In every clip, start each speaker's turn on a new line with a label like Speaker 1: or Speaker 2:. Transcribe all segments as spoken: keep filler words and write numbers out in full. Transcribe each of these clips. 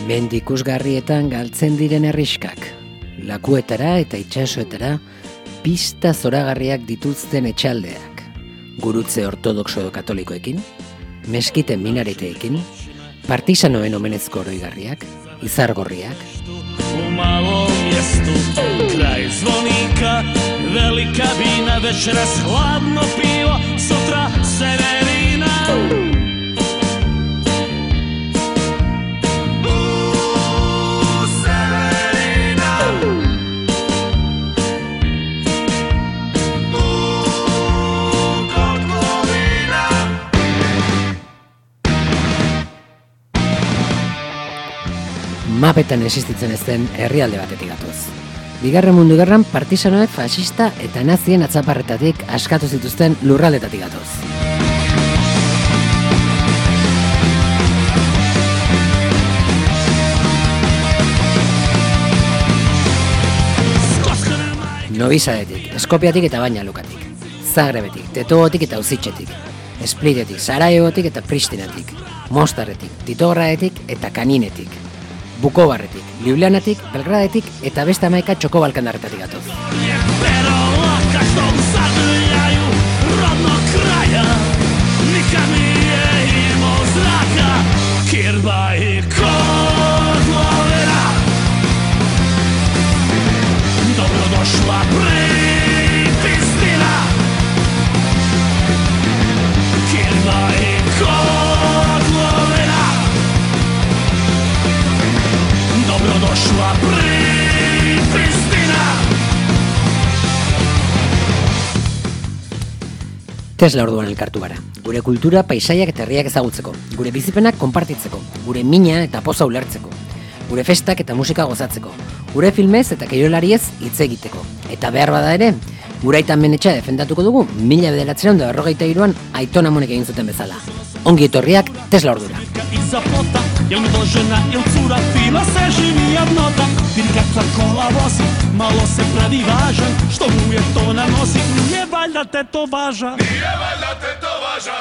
Speaker 1: Mendikusgarrietan galtzen diren herriskak, lakuetara eta itsasoetara pista zoragarriak dituzten etxaldeak, gurutze ortodoxo edo katolikoekin, meskiten minareteekin, partisanoen omenezko oroigarriak, izargorriak.
Speaker 2: U malom mjestu, kraj zvonika, velika vina, večeras hladno pivo, sutra severina.
Speaker 1: Mapetan existitzen ez den herrialde batetik gatoz. Bigarren mundu gerran partisanoek fascista eta nazien atzaparretatik askatu zituzten lurraldetatik gatoz. Novi Sadetik, Eskopiatik eta Baina Lukatik, Zagrebetik, Tetogotik eta Uzitxetik, Splitetik, Sarajevotik eta Pristinatik, Mostarretik, Titogradatik eta Kaninetik, Bukobarretik, Ljubljanatik, Belgradetik eta beste hamaika txoko balkandarretatik gatoz. Tesla orduan elkartu gara. Gure kultura, paisaiak eta herriak ezagutzeko, gure bizipenak konpartitzeko, gure mina eta poza ulertzeko, gure festak eta musika gozatzeko, gure filmez eta kirolariez hitz egiteko. Eta behar bada ere, gure aitan menetxa defendatuko dugu, mila bederatziehun eta berrogeita hiruan Aiton Amonek egin zuten bezala. Ongi etorriak Tesla ordura.
Speaker 2: Jel mi dožena, jel cura fina, se živi jednota. Vidi kakva kola vozi, malo se pravi važan. Što mu je to nanosi, nije valjda te to važa. Nije valjda te to važa.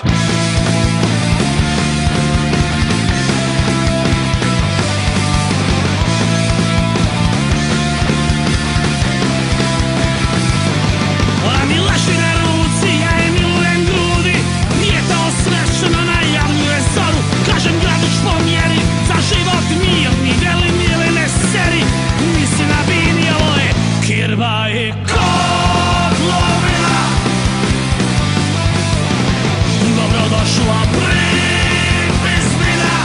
Speaker 2: A mi leši na ruci, ja je milujem grudi. Nije to osvešeno, najavljuje zoru. Kažem gradić po mjeri, za život mirni, veli mili ne seri. Nisi na bini, ovo je kirba i kotlovina. Dobrodošla pripisnina.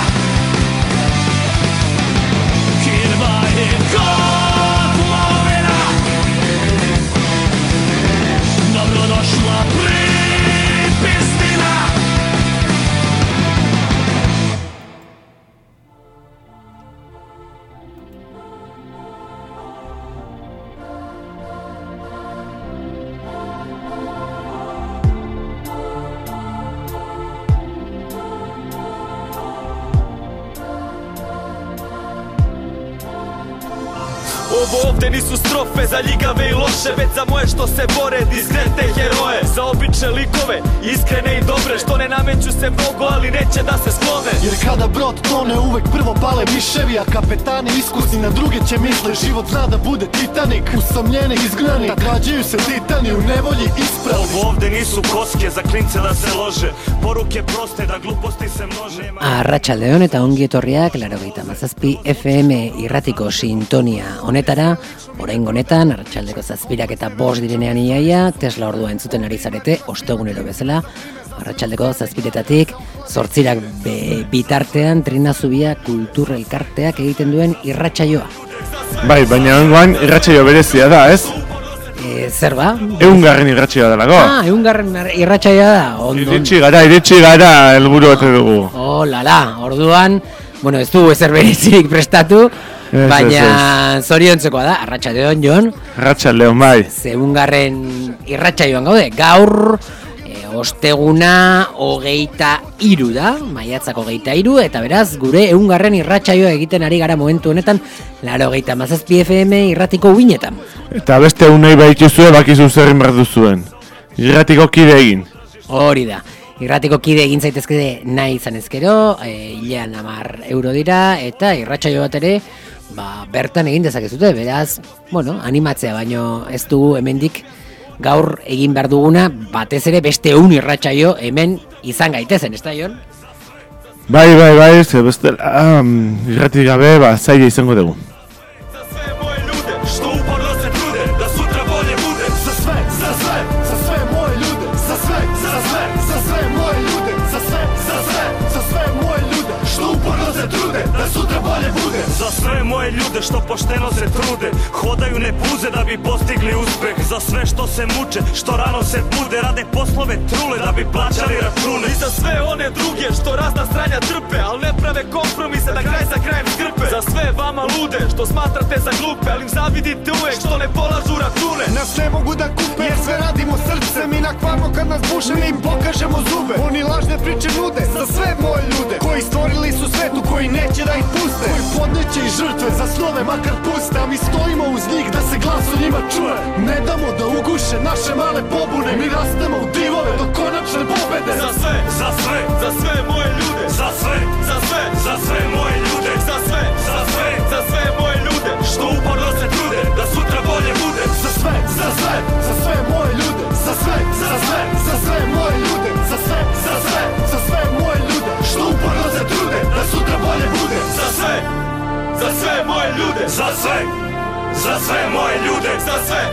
Speaker 2: Kirba i kotlovina. Dobrodošla pripisnina.
Speaker 3: Ovo ovde nisu strofe za ljigave i loše, već za moje što se bore, diskrete heroje. Za obične likove, iskrene i dobre, što ne nameću se mnogo, ali neće da se sklone.
Speaker 4: Jer kada brod tone, uvek prvo pale miševi, a kapetani iskusni na druge će misle. Život zna da bude Titanik, usamljeni izgnani, tad rađaju se titani u nevolji ispravni.
Speaker 3: Ovo ovde nisu koske, za klince da se lože, poruke proste da gluposti se množe.
Speaker 1: Arratsaldeon eta ongi etorriak laurogeita hamazazpi F M irratiko sintonia honetara, oraingo honetan arratsaldeko zazpirak eta bost direnean iaia, Tesla ordua entzuten ari zarete, ostegunero bezala, arratsaldeko zazpiretatik, zortzirak be, bitartean Trina Zubia kultur elkarteak egiten duen irratsaioa.
Speaker 5: Bai, baina ongoan irratsaio berezia da, ez?
Speaker 1: E, zer ba?
Speaker 5: Eungarren irratsaioa delago.
Speaker 1: Ah, eungarren irratsaioa da. Ondo.
Speaker 5: Iritsi gara, iritsi gara helburu ote dugu.
Speaker 1: Oh, lala, orduan, bueno, ez du ezer berezirik prestatu, Baina zoriontzekoa da, arratsaldeon Jon.
Speaker 5: Arratsaldeon bai.
Speaker 1: Zeungarren irratsaioan gaude, gaur e, osteguna hogeita hiru da, maiatzak hogeita hiru, eta beraz gure ehungarren irratsaioa egiten ari gara momentu honetan, laurogeita hamazazpi F M irratiko uinetan.
Speaker 5: Eta beste unei baituzue bakizu zer egin behar duzuen. Irratiko kide egin.
Speaker 1: Hori da. Irratiko kide egin zaitezke nahi izan ezkero, e, hilean hamar euro dira, eta irratsaio bat ere, ba, bertan egin dezakezute, beraz, bueno, animatzea, baino ez dugu hemendik gaur egin behar duguna, batez ere beste ehun irratsaio hemen izan gaitezen, ez da, Jon?
Speaker 5: Bai, bai, bai, ze beste, um, irratik gabe, ba, zaila izango dugu.
Speaker 2: Za sve moje ljude što pošteno se trude, hodaju ne puze da bi postigli uspeh. Za sve što se muče, što rano se bude, rade poslove trule da bi plaćali račune.
Speaker 3: I za sve one druge što razna stranja trpe, al ne prave kompromise da kraj za krajem skrpe. Za sve vama lude što smatrate za glupe, al im zavidite uvek što ne polažu račune.
Speaker 4: Nas ne mogu da kupe jer sve radimo srcem i nakvarno kad nas buše mi im pokažemo zube. Oni lažne priče nude za sve moje ljude koji stvorili su svetu, koji neće da ih puste, koji podneće i žrtve za snove makar puste, a mi stojimo uz njih da se glas o njima čuje. Ne damo da uguše naše male pobune, mi rastemo u divove do konačne pobede.
Speaker 2: Za sve, za sve,
Speaker 3: Za sve moje ljude,
Speaker 2: za sve,
Speaker 3: za sve,
Speaker 2: za sve moje ljude,
Speaker 3: za sve,
Speaker 2: za sve,
Speaker 3: za sve moje ljude,
Speaker 2: što uporno se trude da sutra bolje bude.
Speaker 4: Za sve, za sve, za sve moje ljude, za sve, za sve, za sve moje ljude, za sve, za sve, za sve moje ljude, što uporno se trude da sutra bolje bude.
Speaker 3: za sve, za sve moje ljude,
Speaker 2: Za sve, za sve moje ljude,
Speaker 3: za sve,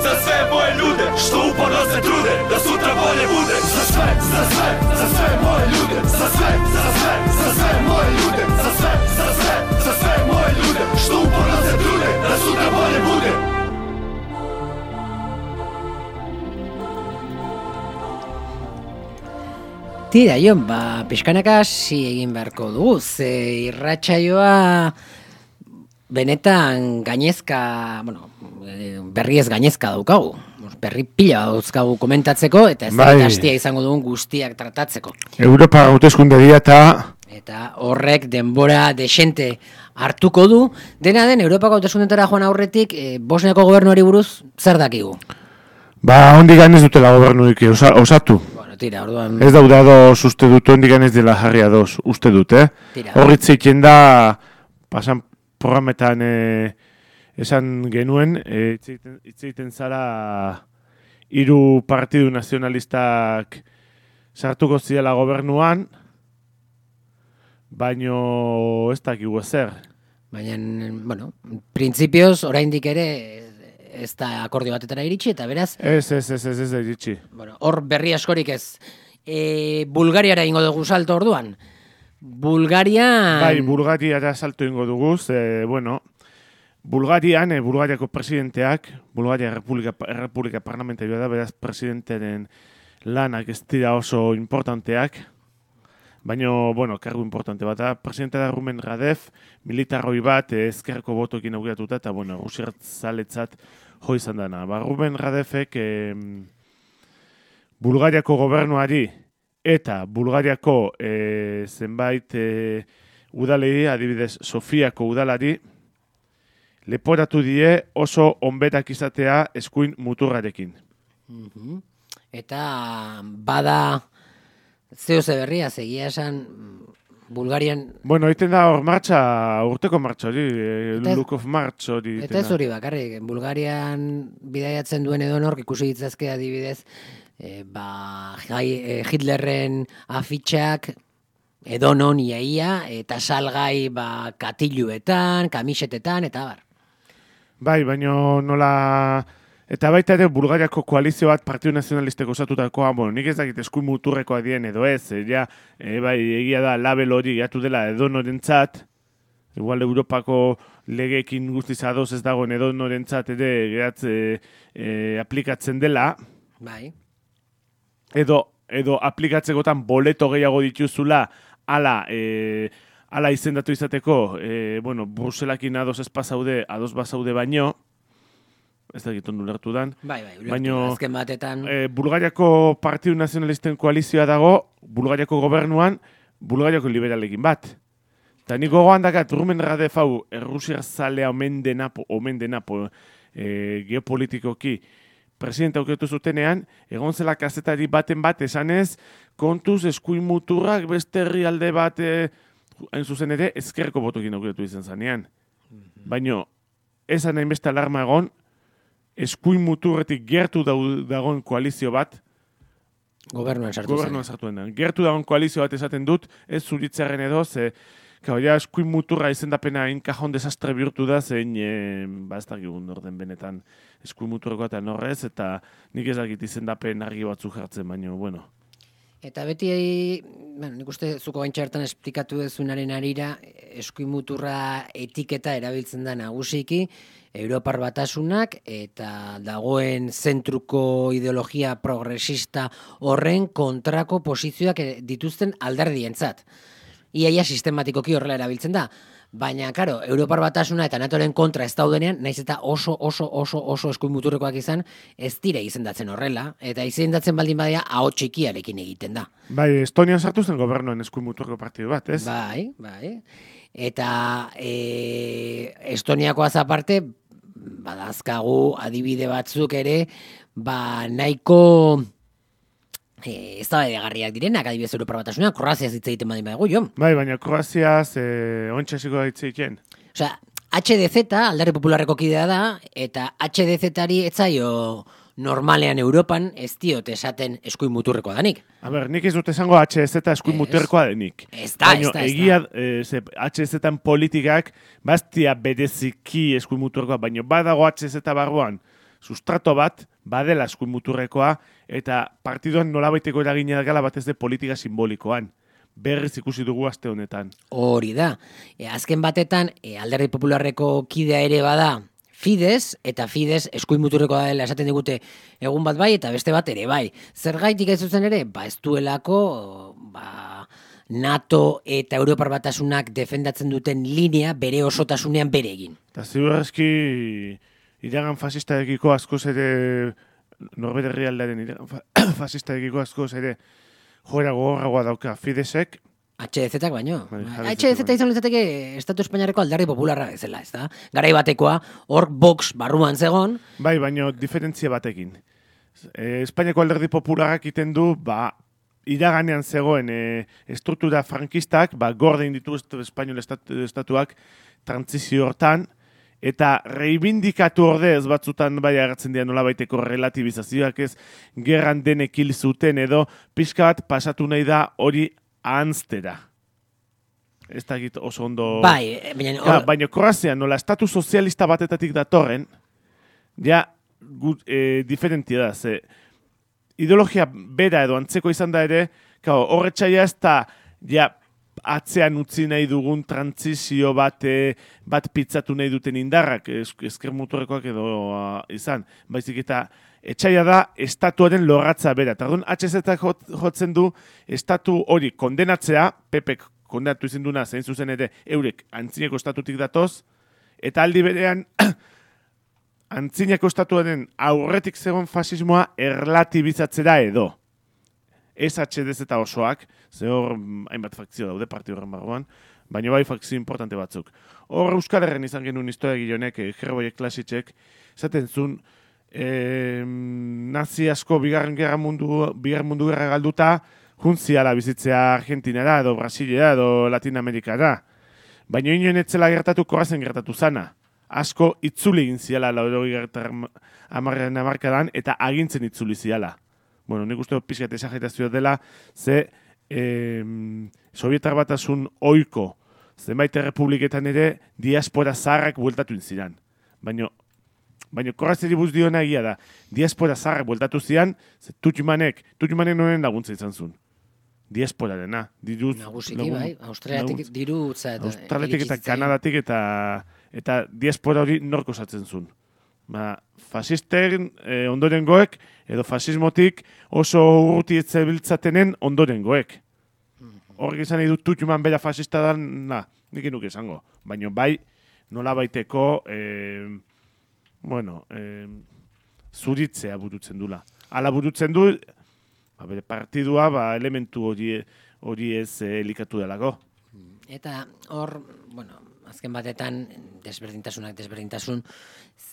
Speaker 3: za sve moje ljude,
Speaker 2: što uporno se trude da sutra bolje bude.
Speaker 4: Za sve, za sve, za sve moje ljude, za sve, za sve, za sve moje ljude, za sve, za sve, za sve moje ljude, što uporno se trude da sutra bolje bude.
Speaker 1: Tira, Jon, ba, pixkanaka hasi egin beharko dugu, ze irratsaioa benetan gainezka, bueno, berriez gainezka daukagu. Berri pila dauzkagu komentatzeko, eta ez da
Speaker 5: Bai.
Speaker 1: hastia izango dugun guztiak tratatzeko.
Speaker 5: Europa hauteskunde dira eta
Speaker 1: Eta horrek denbora desente hartuko du, dena den Europako hauteskundetara joan aurretik, e, Bosniako gobernuari buruz zer dakigu?
Speaker 5: ba, ondigan ez dutela gobernurik osa, osatu.
Speaker 1: Bueno, tira, orduan...
Speaker 5: Ez dauda ados uste dut, ondigan ez dela jarri ados uste dut, eh?
Speaker 1: Tira.
Speaker 5: Horritz egiten da, pasan programetan eh, esan genuen, eh, hitz egiten- hitz egiten zara hiru partidu nazionalistak sartuko zirela gobernuan, baino ez dakigu ezer.
Speaker 1: Baina, bueno, printzipioz oraindik ere ez da akordio batetara iritsi, eta beraz,
Speaker 5: Ez, ez, ez, ez, ez da iritsi.
Speaker 1: bueno, hor berri askorik ez. E, Bulgariara ingo dugu salto orduan. Bulgaria...
Speaker 5: Bai, Bulgariara salto ingo dugu, ze, bueno, Bulgarian, eh, Bulgariako presidenteak, Bulgaria Republika, Republika Parlamentarioa da, beraz presidenteren lanak ez dira oso importanteak, baina, bueno, kargu importante bat da. Presidente da Rumen Radev, militarroi bat, eh, ezkerreko botokin aurkiatuta, eta, bueno, usirtzaletzat jo izan dana. Ba, Rumen Radevek eh, Bulgariako gobernuari eta Bulgariako eh, zenbait eh, udalei, adibidez Sofiako udalari, leporatu die oso onbetak izatea eskuin muturrarekin.
Speaker 1: Mhm. Eta bada zeo ze berria, segia esan Bulgarian,
Speaker 5: Bueno, egiten da hor martxa, urteko martxa hori, eh,
Speaker 1: Eta ez-
Speaker 5: Look of March hori.
Speaker 1: eta
Speaker 5: egiten
Speaker 1: ez
Speaker 5: da.
Speaker 1: hori bakarrik, Bulgarian bidaiatzen duen edonork ikusi ditzazke adibidez, e, ba, jai, e, Hitlerren afitxak edonon iaia, eta salgai ba, katiluetan, kamisetetan, eta bar.
Speaker 5: Bai, baino nola... Eta baita ere Bulgariako koalizio bat Partidu Nazionalisteko osatutakoa, bueno, nik ez dakit eskuin muturrekoa dien edo ez, e, ja, e, bai, egia da label hori gatu dela edonorentzat, igual Europako legeekin guztiz ados ez dagoen edonorentzat ere geratze e, aplikatzen dela,
Speaker 1: Bai.
Speaker 5: edo, edo aplikatzekotan boleto gehiago dituzula, ala, e, ala izendatu izateko, e, bueno, Bruselakin ados ez pasaude, ados bazaude baino, ez da egiten ulertu dan.
Speaker 1: Bai, bai, ulertu
Speaker 5: baino,
Speaker 1: da, azken batetan.
Speaker 5: E, Bulgariako Partidu Nazionalisten koalizioa dago, Bulgariako gobernuan, Bulgariako liberalekin bat. Eta nik gogoan dakat, Rumen Radev hau, Errusiar zalea omen denapo, omen denapo, e, geopolitikoki, presidente aukertu zutenean, egon zela kazetari baten bat esanez, kontuz eskuin muturrak beste herrialde bat, e, hain zuzen ere, ezkerreko botokin aukertu izan zanean. Baina, esan nahi beste alarma egon, eskuin muturretik gertu dagoen koalizio bat,
Speaker 1: Gobernuan sartu zen.
Speaker 5: Gobernuan sartu den. Gertu dagoen koalizio bat esaten dut, ez zuritzaren edo, ze, Kau, ja, eskuin muturra izendapena inkajon desastre bihurtu da, zein, e, ba, ez dakigun orden benetan eskuin muturreko eta norrez, eta nik ez dakit izendapen argi batzuk jartzen, baina, bueno.
Speaker 1: Eta beti, bueno, nik uste zuko gaintxa hartan esplikatu dezunaren arira, eskuin muturra etiketa erabiltzen da nagusiki, Europar Batasunak eta dagoen zentruko ideologia progresista horren kontrako posizioak dituzten alderdientzat. Iaia sistematikoki horrela erabiltzen da. Baina, karo, Europar Batasuna eta NATOren kontra ez daudenean, naiz eta oso, oso, oso, oso eskuin muturrekoak izan, ez dire izendatzen horrela, eta izendatzen baldin badea, aho txikiarekin egiten da.
Speaker 5: Bai, Estonian sartu zen gobernuan eskuin muturreko partidu bat, ez?
Speaker 1: Bai, bai. Eta e, Estoniakoaz aparte, badazkagu adibide batzuk ere, ba, nahiko... E, ez da edagarriak direnak, adibidez Europar Batasunean, Kroaziaz hitz egiten badin badago, jo.
Speaker 5: Bai, baina Kroaziaz e, ontsa hitz egiten.
Speaker 1: Osea, H D Z, Alderdi Popularreko kidea da, eta H D Z-ari etzaio normalean Europan ez diot esaten eskuin muturrekoa danik.
Speaker 5: A ber, nik ez dut esango H D Z eskuin muturrekoa denik.
Speaker 1: Ez da, ez da, ez
Speaker 5: egia, e, ze, H D Z-an politikak bastia bereziki eskuin muturrekoa, baina badago H D Z barruan sustrato bat, badela eskuin muturrekoa, eta partiduan nolabaiteko eragina gala batez de politika simbolikoan. Berriz ikusi dugu aste honetan.
Speaker 1: Hori da. E, azken batetan, e, Alderdi Popularreko kidea ere bada Fidesz, eta Fidesz eskuin muturrekoa dela esaten digute egun bat bai, eta beste bat ere bai. Zergaitik ez zuzen ere, ba ez duelako, ba, NATO eta Europar Batasunak defendatzen duten linea bere osotasunean bere egin.
Speaker 5: Eta ziurrezki iragan fasistarekiko askoz ere, norbere herrialdearen iragan fasistarekiko askoz ere joera gogorragoa dauka Fideszek.
Speaker 1: H D Z-ak baino. H D Z izan litzateke Estatu Espainiarreko Alderdi Popularra bezala, ez da? Garai batekoa, hor Vox barruan zegon.
Speaker 5: Bai, baino diferentzia batekin. E, Espainiako Alderdi Popularrak iten du, ba, iraganean zegoen e, estruktura frankistak, ba, gorde inditu Espainiol estatu, estatuak trantzizio hortan, eta reibindikatu ordez batzutan bai agertzen dira nolabaiteko relativizazioak ez, gerran denek hil zuten edo pixka bat pasatu nahi da hori ahanztera. Ez da egit oso ondo...
Speaker 1: Bai, baina...
Speaker 5: Ja, baina Kroazia nola estatu sozialista batetatik datorren, ja, gut, e, diferentia da, ze ideologia bera edo antzeko izan da ere, horretxaia ez da, ja, atzean utzi nahi dugun trantzizio bat, e, bat pitzatu nahi duten indarrak, ezker muturrekoak edo a, izan. Baizik eta etxaia da estatuaren lorratza bera. Eta orduan H Z jotzen du estatu hori kondenatzea, P Pek kondenatu izin duna, zein zuzen ere eurek antzineko estatutik datoz, eta aldi berean antzineko estatuaren aurretik zegoen fasismoa erlatibizatzera edo. Ez H D Z osoak, ze hor hainbat fakzio daude parti horren barruan, baina bai fakzio importante batzuk. Hor Euskal Herren izan genuen historia gilonek, Gerboiek Klasitxek, zaten zuen, e, nazi asko bigarren gerra mundu, bigarren mundu gerra galduta, juntziala bizitzea Argentinara, edo Brasilera, edo Latinamerikara. Baina inoen etzela gertatu Kroazian gertatu zana. Asko itzuli egin ziala laurogei gertar amarrean amarkadan, eta agintzen itzuli ziala. Bueno, nik uste pixkat esagetazioa dela, ze eh, Sovietar Batasun oiko zenbait errepubliketan ere diaspora zaharrak bueltatu ziran. Baina baina Kroaziari buz diona egia da, diaspora zaharrak bueltatu zian, ze Tutjumanek, Tutjumanek noren laguntza izan zuen. Diasporarena.
Speaker 1: Nagusiki, bai, Australiatik dirutza.
Speaker 5: Australiatik eta Kanadatik eta, eta diaspora hori nork osatzen zuen. Ba, fasisten eh, ondorengoek, edo fasismotik oso urruti etzebiltzatenen ondorengoek. horrek izan nahi dut tutxuman bera fascista da, na, nik inuk esango. Baina bai, nola baiteko, eh, bueno, eh, zuritzea burutzen dula. Hala burutzen du, ba, bere partidua, ba, elementu hori, hori ez eh, elikatu delako.
Speaker 1: Eta hor, bueno, azken batetan desberdintasunak desberdintasun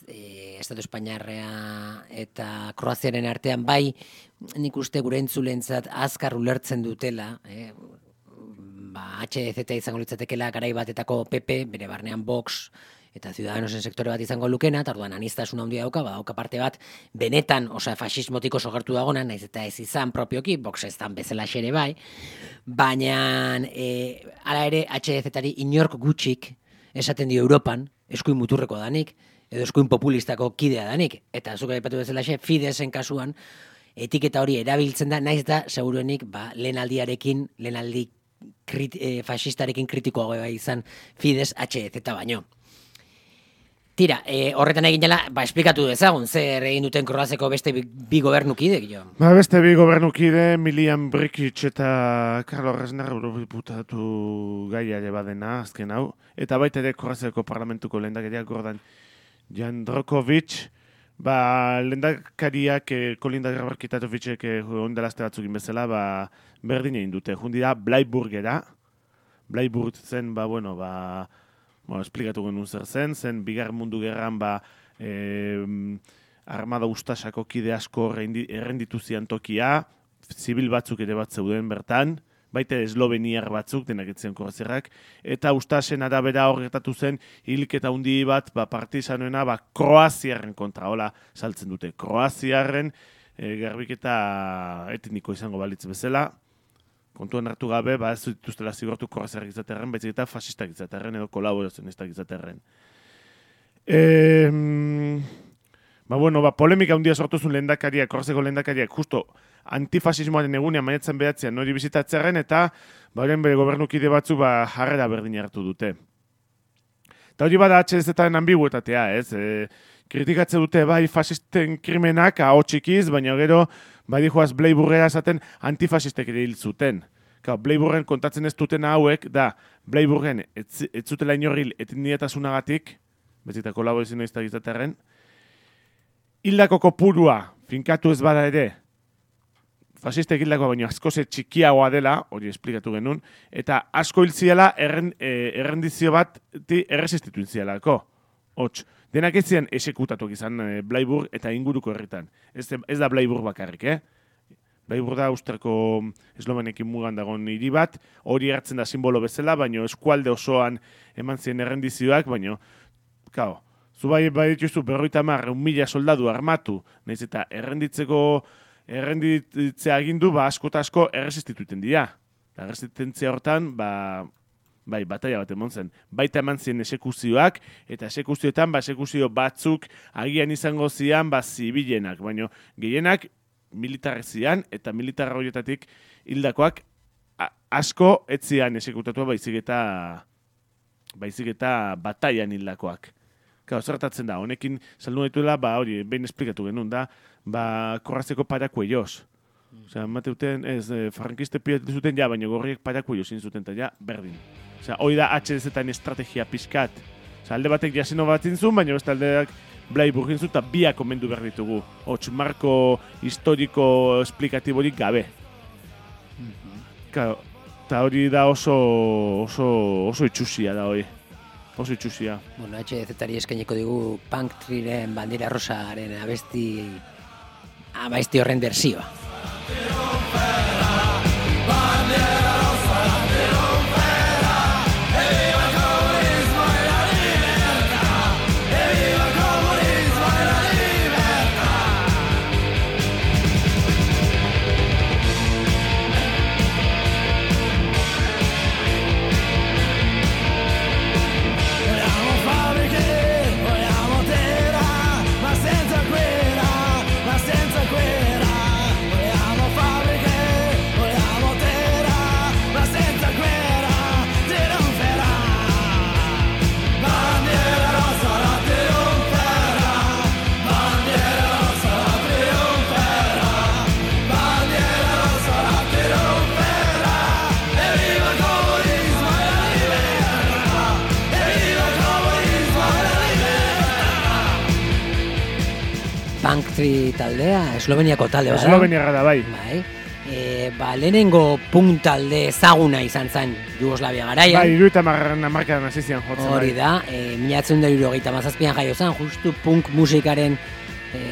Speaker 1: e, Estatu Espainiarrea eta Kroaziaren artean bai nik uste gure entzulentzat azkar ulertzen dutela, eh, ba, H D Z izango litzatekela garai batetako P P, bere barnean Vox eta Ciudadanosen sektore bat izango lukena, eta orduan aniztasun handia dauka, ba, dauka parte bat benetan, osea, fasismotik oso gertu dagona, naiz eta ez izan propioki, Vox ez dan bezala xere bai, baina e, ala ere H D Z-ari inork gutxik esaten dio Europan, eskuin muturreko danik, edo eskuin populistako kidea danik, eta zuk aipatu bezala xe, Fidesen kasuan, etiketa hori erabiltzen da, naiz da, seguruenik, ba, lehenaldiarekin, lehenaldi krit, e, fascistarekin kritikoago bai izan Fides H D Z baino. Tira, e, horretan egin jala, ba, esplikatu dezagun, zer egin duten Kroaziako beste bi, bi gobernukidek, jo?
Speaker 5: Ba, beste bi gobernukide, Milian Brikic eta Karlo Resner eurobiputatu gaia ere badena, azken hau. Eta baita ere Kroaziako parlamentuko lehendakaria Gordan Jandrokovic, ba, lehendakariak eh, Kolinda Grabar-Kitatovicek eh, ondelazte batzukin bezala, ba, berdin egin dute. Jundira, Bleiburgera, Bleiburg zen, ba, bueno, ba, Bueno, esplikatu genuen zer zen, zen bigar mundu gerran ba, eh, armada ustasako kide asko errenditu zian tokia, zibil batzuk ere bat zeuden bertan, baita esloveniar batzuk, denak etzen Kroaziarrak, eta ustasen arabera horretatu zen hilketa hundi bat ba, partizanoena ba, Kroaziarren kontra, hola saltzen dute. Kroaziarren eh, garbiketa etniko izango balitz bezala, kontuan hartu gabe, ba ez dituztela zigortu Kroaziarrak izaterren, baizik eta fasistak izaterren edo kolaborazionistak izaterren. E, ba, bueno, ba, polemika handia sortu zuen lehendakariak, Kroaziako lehendakariak, justo antifasismoaren egunean maiatzen behatzean hori bizitatzearen, eta ba, horren bere gobernukide batzu ba, jarrera berdin hartu dute. Eta hori bada H D Z-aren ambiguetatea, ez? E, kritikatze dute bai fasisten krimenak ahotxikiz, baina gero bai joaz Bleiburgera esaten antifasistek ere hil zuten. Ka, Bleiburgen kontatzen ez duten hauek, da, Bleiburgen ez, ez zutela inorril etnietasunagatik, bezita kolaborazio iztak izaterren, hildako kopurua finkatu ez bada ere, fasistek hildako baino askoze txikiagoa dela, hori esplikatu genuen, eta asko hil ziela erren, e, errendizio bat erresistitu zielako. Hots, denak ez ziren esekutatuak izan e, Bleiburg eta inguruko herritan. Ez, ez da Bleiburg bakarrik, eh? Bleiburg da Austriako eslovenekin mugan dagoen hiri bat, hori hartzen da simbolo bezala, baino eskualde osoan eman ziren errendizioak, baino, kao, zu bai bai dituzu berroita hamar, un mila soldadu armatu, nahiz eta errenditzeko errenditzea agindu, ba asko eta asko erresistituten dira. Erresistentzia hortan, ba, bai, bataia bat emon zen. Baita eman ziren esekuzioak, eta esekuzioetan, ba, esekuzio batzuk agian izango zian, ba, zibilenak, baina gehienak militarrek zian, eta militarra horietatik hildakoak asko ez zian esekutatua baizik eta baizik eta bataian hildakoak. Kau, zertatzen da, honekin saldu dituela, ba, hori, behin esplikatu genuen da, ba, Kroaziako parakuelloz. Osea, mateuten, ez, eh, frankiste pilatu zuten, ja, baina gorriek parakuelloz zin zuten, eta ja, berdin. Osea, hori da H D Z-en estrategia pizkat. Osea, alde batek jaseno bat zintzun, baina beste aldeak Bleiburg zintzun, eta biak omendu behar ditugu. Hots, marko historiko esplikatiborik gabe. Claro, eta hori da oso, oso, oso itxusia da hori. Oso itxusia.
Speaker 1: Bueno, H D Z-ari eskaineko digu Punk Triren bandera rosaren abesti, abesti horren berzioa.
Speaker 2: Senza quella, ma senza quella, vogliamo fabbriche
Speaker 1: Punktri taldea, Esloveniako talde bada.
Speaker 5: Esloveniarra da, bai.
Speaker 1: Bai. E, ba, lehenengo punk talde ezaguna izan zen Jugoslavia garaian.
Speaker 5: Bai, iruita margarren amarkadan hasi zian jotzen.
Speaker 1: Hori
Speaker 5: bai.
Speaker 1: da, e, mila bederatziehun eta hirurogeita hamazazpian jaio zen, justu punk musikaren e,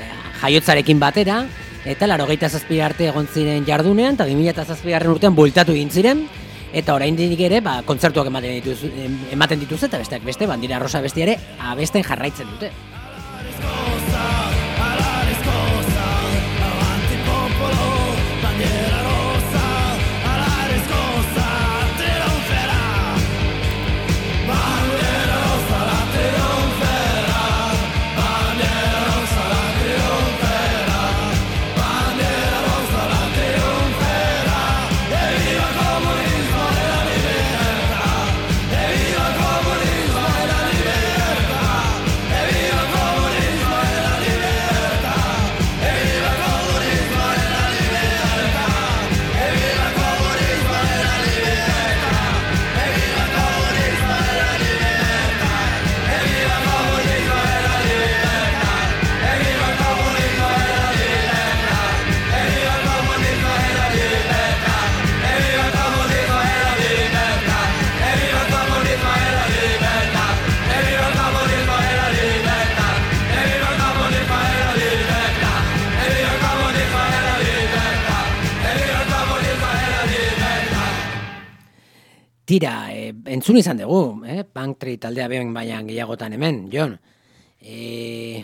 Speaker 1: jaiotzarekin batera, eta laurogeita zazpi arte egon ziren jardunean, eta bi mila zazpigarren urtean bueltatu egin ziren, eta oraindik ere, ba, kontzertuak ematen dituz, ematen dituz, eta besteak beste, Bandera Rosa beste ere, abesten jarraitzen dute. Tira, e, entzun izan dugu, eh? Punktri taldea behin baian gehiagotan hemen, Jon. E,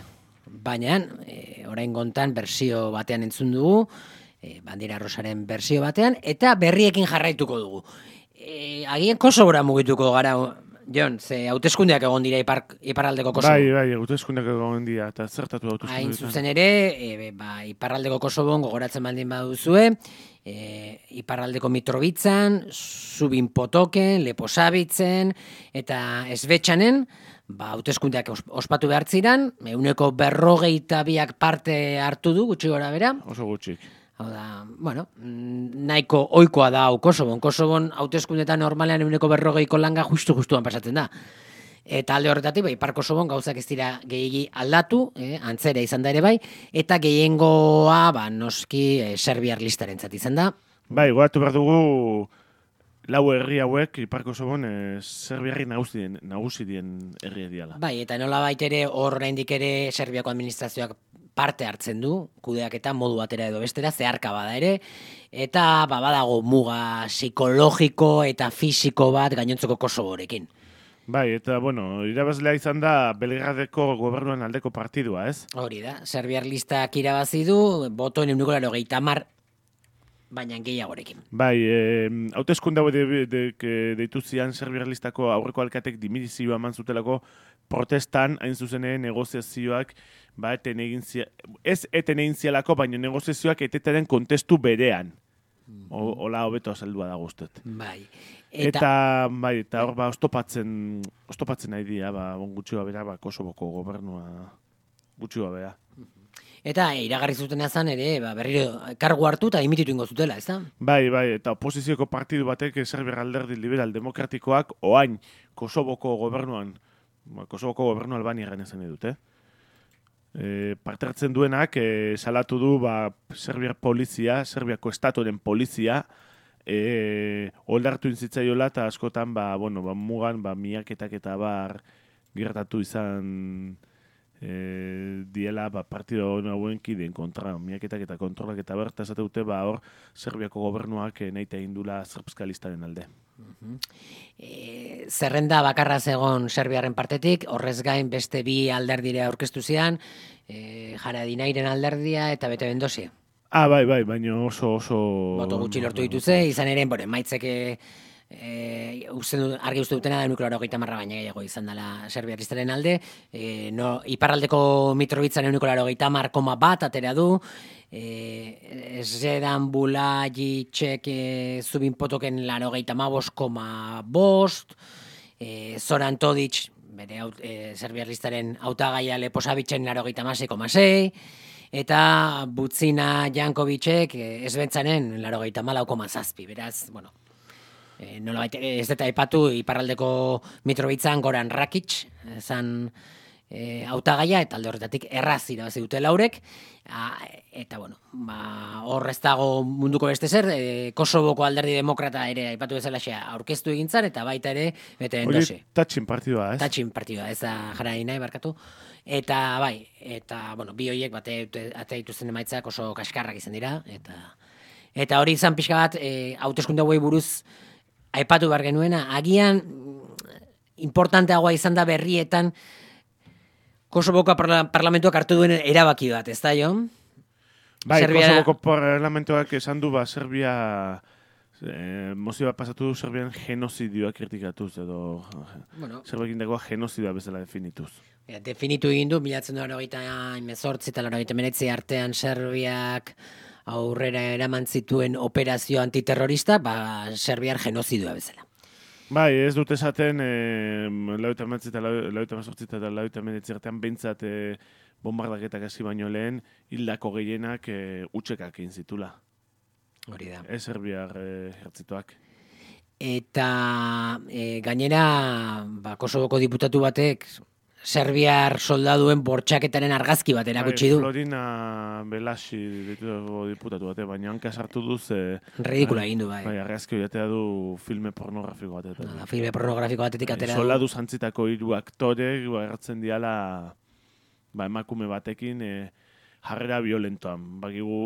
Speaker 1: baina, e, orain gontan bersio batean entzun dugu, e, Bandera Rosaren bersio batean, eta berriekin jarraituko dugu. E, agian Kosovora mugituko gara, Jon, ze hauteskundeak egon dira ipar, iparraldeko Kosovo.
Speaker 5: Bai, bai, hauteskundeak egon dira, eta zertatu hauteskundeak.
Speaker 1: Hain zuzen ere, e, ba, iparraldeko Kosovon gogoratzen baldin baduzue, E, iparraldeko Mitrovican, Zubin Potoken, Leposavitzen eta Esbetxanen, ba, hauteskundeak ospatu behar ziren, ehuneko berrogeita biak parte hartu du, gutxi gora bera.
Speaker 5: Oso gutxik.
Speaker 1: Hau da, bueno, nahiko ohikoa da hau Kosovon. Kosovon hauteskundetan normalean ehuneko berrogeiko langa justu-justuan pasatzen da. Eta alde horretatik, bai, Ipar Kosovon gauzak ez dira gehiegi aldatu, eh, antzera izan da ere bai, eta gehiengoa, ba, noski, eh, serbiar listarentzat izan da.
Speaker 5: Bai, goatu behar dugu lau herri hauek Ipar Kosovon eh, serbiarri nagusi dien, nagusi dien herri diala.
Speaker 1: Bai, eta nola baitere hor oraindik ere Serbiako administrazioak parte hartzen du, kudeak eta modu batera edo bestera, zeharka bada ere, eta ba, badago muga psikologiko eta fisiko bat gainontzeko Kosovorekin.
Speaker 5: Bai, eta, bueno, irabazlea izan da Belgradeko gobernuan aldeko partidua, ez?
Speaker 1: Hori da, serbiar listak irabazi du, botoen ehuneko laurogeita hamar, baina gehiagorekin.
Speaker 5: Bai, eh, hauteskunde hau de, de, de, deitu zian serbiar listako aurreko alkatek dimizioa eman zutelako protestan, hain zuzen ere negoziazioak, ba, eten egin zia, ez eten egin zialako, baina negoziazioak etetaren kontestu berean. O, hola hobeto azaldua da guztet.
Speaker 1: Bai.
Speaker 5: Eta, eta bai, eta hor ba ostopatzen, ostopatzen nahi dira, ba, bon gutxi bera, ba, Kosovoko gobernua gutxi bera.
Speaker 1: Eta iragarri zuten azan ere, ba, berriro kargu hartu eta dimititu ingo zutela, ez da?
Speaker 5: Bai, bai, eta oposizioko partidu batek Serbiar Alderdi Liberal Demokratikoak oain Kosovoko gobernuan, ba, Kosovoko gobernu Albaniaren esan edut, eh? E, parte hartzen duenak e, salatu du ba, Serbiar polizia, Serbiako estatuaren polizia, e, oldartu inzitzaiola eta askotan ba, bueno, ba, mugan ba, miaketak eta bar gertatu izan e, diela ba, partido hauen kideen kontra, miaketak eta kontrolak eta bar, eta esate dute ba, hor Serbiako gobernuak e, nahi egindula serbskalistaren alde.
Speaker 1: Uh-huh. E, zerrenda bakarra zegon Serbiaren partetik, horrez gain beste bi alderdire aurkeztu zian, e, Haradinairen alderdia eta Bete Bendosia.
Speaker 5: Ah, bai, bai, baina oso, oso...
Speaker 1: Boto gutxi lortu dituze, izan ere, bore, maitzeke e, usten, argi uste dutena da ehuneko laurogeita hamar baina gehiago izan dela serbiaristaren alde, e, no, iparraldeko Mitrovitzan ehuneko laurogeita hamar koma bat atera du, e, Zedan Bulajicek e, Zubin Potoken laurogeita hamabost koma bost, e, Zoran Todic, bere e, serbiaristaren hautagaia Leposavitzen laurogeita hamasei koma sei, eta Butzina Jankovicek esbentzanen laurogeita hamalau koma zazpi, beraz, bueno, e, nola baita, ez eta epatu iparraldeko Mitrovitzan Goran Rakic, zan e, hautagaia, eta alde horretatik erraz irabazi dute laurek, a, eta bueno, ba, hor ez dago munduko beste zer, e, Kosovoko alderdi demokrata ere aipatu bezalaxea aurkeztu egintzan, eta baita ere, bete endosi.
Speaker 5: Hori tatxin partidua, ez?
Speaker 1: Tatxin partidua, ez da jara nahi barkatu. Eta bai, eta bueno, bi horiek bate ate dituzten emaitzak oso kaskarrak izan dira, eta eta hori izan pixka bat, e, hauteskunde hauei buruz aipatu behar genuena, agian importanteagoa izan da berrietan Kosovoko parla, parlamentuak hartu duen erabaki bat, ez da, Jon?
Speaker 5: Bai,
Speaker 1: Serbia...
Speaker 5: Kosovoko parlamentuak esan du, ba, Serbia, eh, mozio bat pasatu du Serbian genozidioa kritikatuz, edo bueno, Serbiakin dagoa genozidioa bezala definituz.
Speaker 1: Ja, definitu egin du, bilatzen du laurogeita hemezortzi eta laurogeita hemeretzi artean Serbiak aurrera eraman zituen operazio antiterrorista, ba, Serbiar genozidioa bezala.
Speaker 5: Bai, ez dut esaten, eh, laurogeita hemeretzi eta laurogeita hemezortzi eta laurogeita hemeretzi artean behintzat eh, bombardaketak hasi baino lehen, hildako gehienak eh, utxekak egin zitula.
Speaker 1: Hori da.
Speaker 5: Ez Serbiar eh, ejertzitoak.
Speaker 1: Eta e, gainera, ba, Kosovoko diputatu batek Serbiar soldaduen bortxaketaren argazki bat erakutsi du.
Speaker 5: Bai, Florina Belasi diputatu bate, baina hanka sartu duz... Eh,
Speaker 1: Ridikula egin du, bai.
Speaker 5: Bai, argazki hori atea du filme pornografiko batetik.
Speaker 1: Da, filme pornografiko batetik atera du.
Speaker 5: Soldadu zantzitako hiru aktorek ba, erratzen diala ba, emakume batekin eh, jarrera violentoan. Bakigu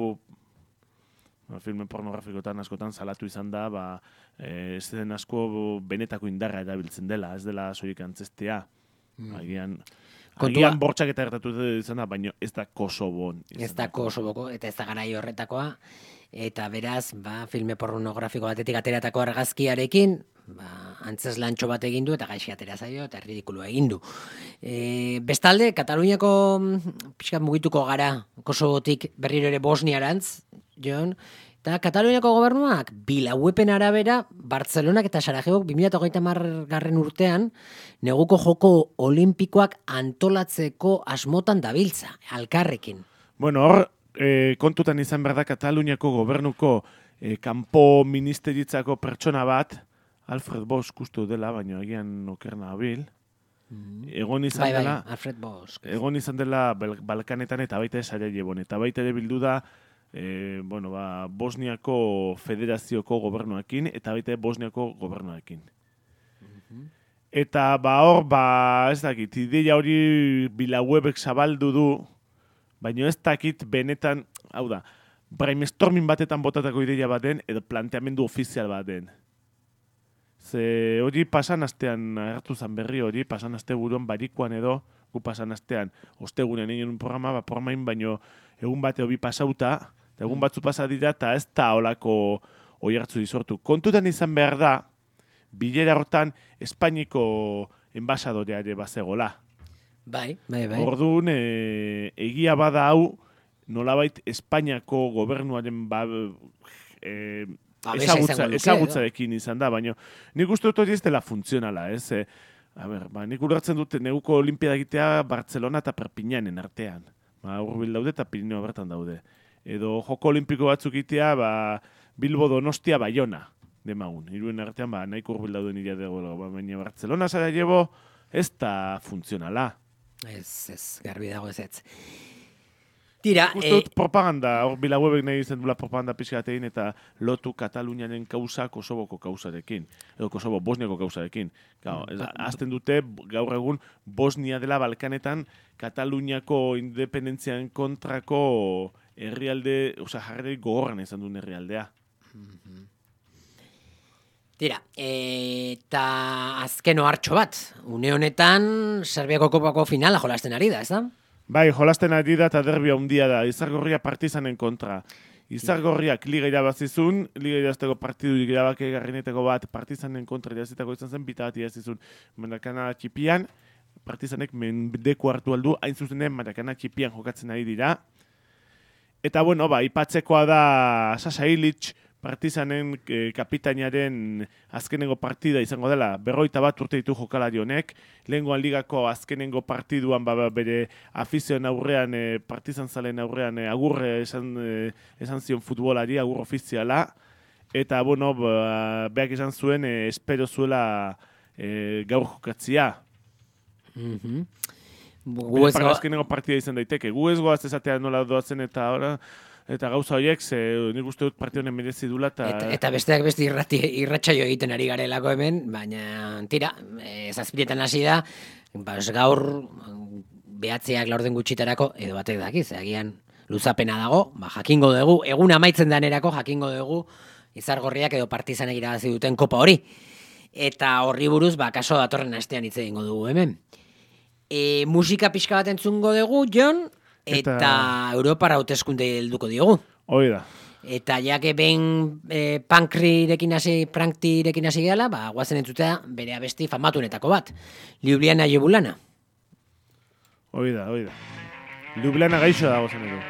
Speaker 5: ba, filme pornografikotan askotan salatu izan da, ba, eh, ez den asko benetako indarra erabiltzen dela, ez dela soilik antzestea. Mm. Agian, agian bortxak eta gertatu izan da, baina ez da Kosovon.
Speaker 1: Ez da Kosovoko, eta ez da garai horretakoa. Eta beraz, ba, filme pornografiko batetik ateratako argazkiarekin, ba, antzes lantxo bat egin du, eta gaixi atera zaio, eta ridikulu egin du. E, bestalde, Kataluniako pixkat mugituko gara Kosovotik berriro ere Bosniarantz, Jon, eta Kataluniako gobernuak bilauepen arabera Bartzelonak eta Sarajevok bi mila hogeita hamar garren urtean neguko joko olimpikoak antolatzeko asmotan dabiltza, alkarrekin.
Speaker 5: Bueno, hor, e, kontutan izan behar da Kataluniako gobernuko e, kanpo ministeritzako pertsona bat, Alfred Bosch ustu dela, baina agian okerna abil, egon izan
Speaker 1: bai,
Speaker 5: dela,
Speaker 1: bai, Alfred Bosch.
Speaker 5: Egon izan dela Balkanetan eta baita Sarajevon, eta baita ere bildu da E, bueno, ba, Bosniako federazioko gobernuakin eta baita Bosniako gobernuakin. Mm-hmm. Eta ba hor, ba, ez dakit, ideia hori bilauebek zabaldu du, baina ez dakit benetan, hau da, brainstorming batetan botatako ideia baten edo planteamendu ofizial baten. Ze hori pasan astean hartu zan berri hori, pasan aste buruan barikuan edo, gu pasan astean, ostegunean egin un programa, ba, programain baino egun bate hobi pasauta, eta egun batzu pasa dira, eta ez da holako oihartzu dizortu. Kontutan izan behar da, bilera hortan Espainiko enbasadorea ere bazegola.
Speaker 1: Bai, bai, bai.
Speaker 5: Orduan, e, egia bada hau, nolabait Espainiako gobernuaren ba, e, ezagutza, ezagutzarekin izan da, baina nik uste dut hori ez dela funtzionala, ez? E, a ber, ba, nik ulertzen dute neguko olimpiada egitea Bartzelona eta Perpignanen artean. Ba, Urbil daude eta Pirineo bertan daude. Edo joko olimpiko batzuk itea, ba, Bilbo Donostia Bayona, demagun. Iruen artean, ba, nahiko urbil dauden iria dago, ba, baina Bartzelona Sarajevo ez da funtzionala.
Speaker 1: Ez, ez, garbi dago ez ez. Tira,
Speaker 5: Uste dut propaganda, hor bilauebek nahi izan dula propaganda pixkatein eta lotu Katalunianen kausa Kosovoko kausarekin. Edo Kosovo Bosniako kausarekin. Gau, azten dute gaur egun Bosnia dela Balkanetan Kataluniako independentzian kontrako herrialde, oza, jarri gogorran izan duen herrialdea.
Speaker 1: Tira, eta azken ohartxo bat, une honetan Serbiako kopako finala jolasten ari da, ez da?
Speaker 5: Bai, jolasten ari da eta derbia handia da, Izargorria Partizanen kontra. Izargorriak liga irabazizun, liga irabazteko partidu irabake garrinetako bat Partizanen kontra irabazitako izan zen, bita bat irabazizun Marakana txipian, Partizanek mendeko hartu aldu, hain zuzenen Marakana txipian jokatzen ari dira. Eta bueno, ba, ipatzekoa da Sasa Ilic, Partizanen eh, kapitainaren azkenengo partida izango dela, berroita bat urte ditu jokalari honek, lehengoan ligako azkenengo partiduan ba, bere afizioen aurrean, eh, Partizan zalen aurrean eh, agurre esan, eh, esan zion futbolari, agur ofiziala, eta bueno, ba, beak esan zuen, eh, espero zuela eh, gaur jokatzia.
Speaker 1: Mm-hmm. Gu ez
Speaker 5: Bere
Speaker 1: go-
Speaker 5: azkenengo partida izan daiteke. Gu ez goaz esatea nola doazen eta ora, eta gauza horiek, ze nik uste dut partida honen merezi dula, eta...
Speaker 1: Eta, eta besteak beste irrati, irratsaio egiten ari garelako hemen, baina tira, e, zazpiretan hasi da, bas, gaur behatziak laurden gutxitarako, edo batek dakiz, agian luzapena dago, ba, jakingo dugu, egun amaitzen danerako jakingo dugu, Izargorriak edo Partizanek irabazi duten kopa hori. Eta horri buruz, ba, kaso datorren astean hitz egingo dugu hemen. E, musika pixka bat entzungo dugu, Jon, eta, eta Europara hauteskunde helduko diogu.
Speaker 5: Hoi da.
Speaker 1: Eta jake behin e, pankrirekin hasi, pranktirekin hasi gehala, ba, guazen entzutea bere abesti famatunetako bat. Ljubljana Jebulana.
Speaker 5: Hoi da, hoi da. Ljubljana gaixo dago zen edo.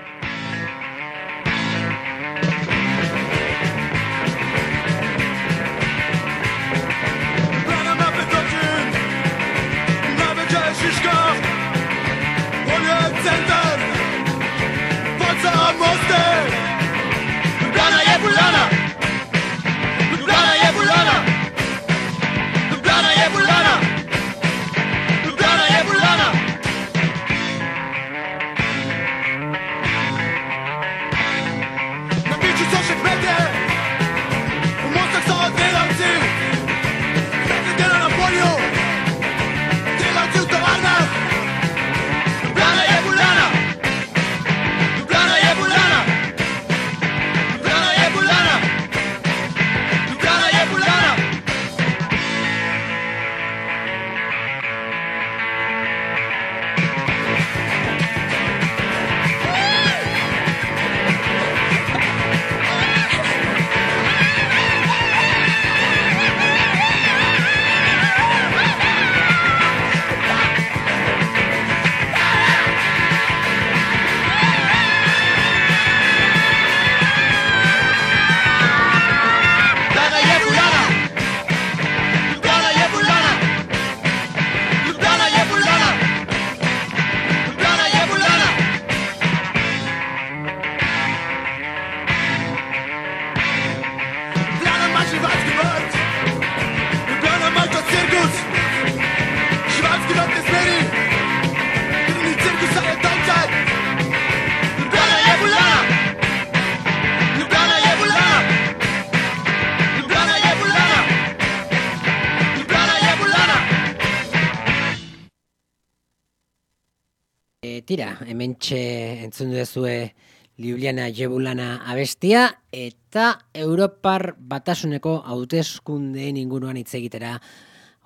Speaker 1: Tira, hementxe entzun duzue Ljubljana Jebulana abestia, eta Europar Batasuneko hauteskundeen inguruan hitz egitera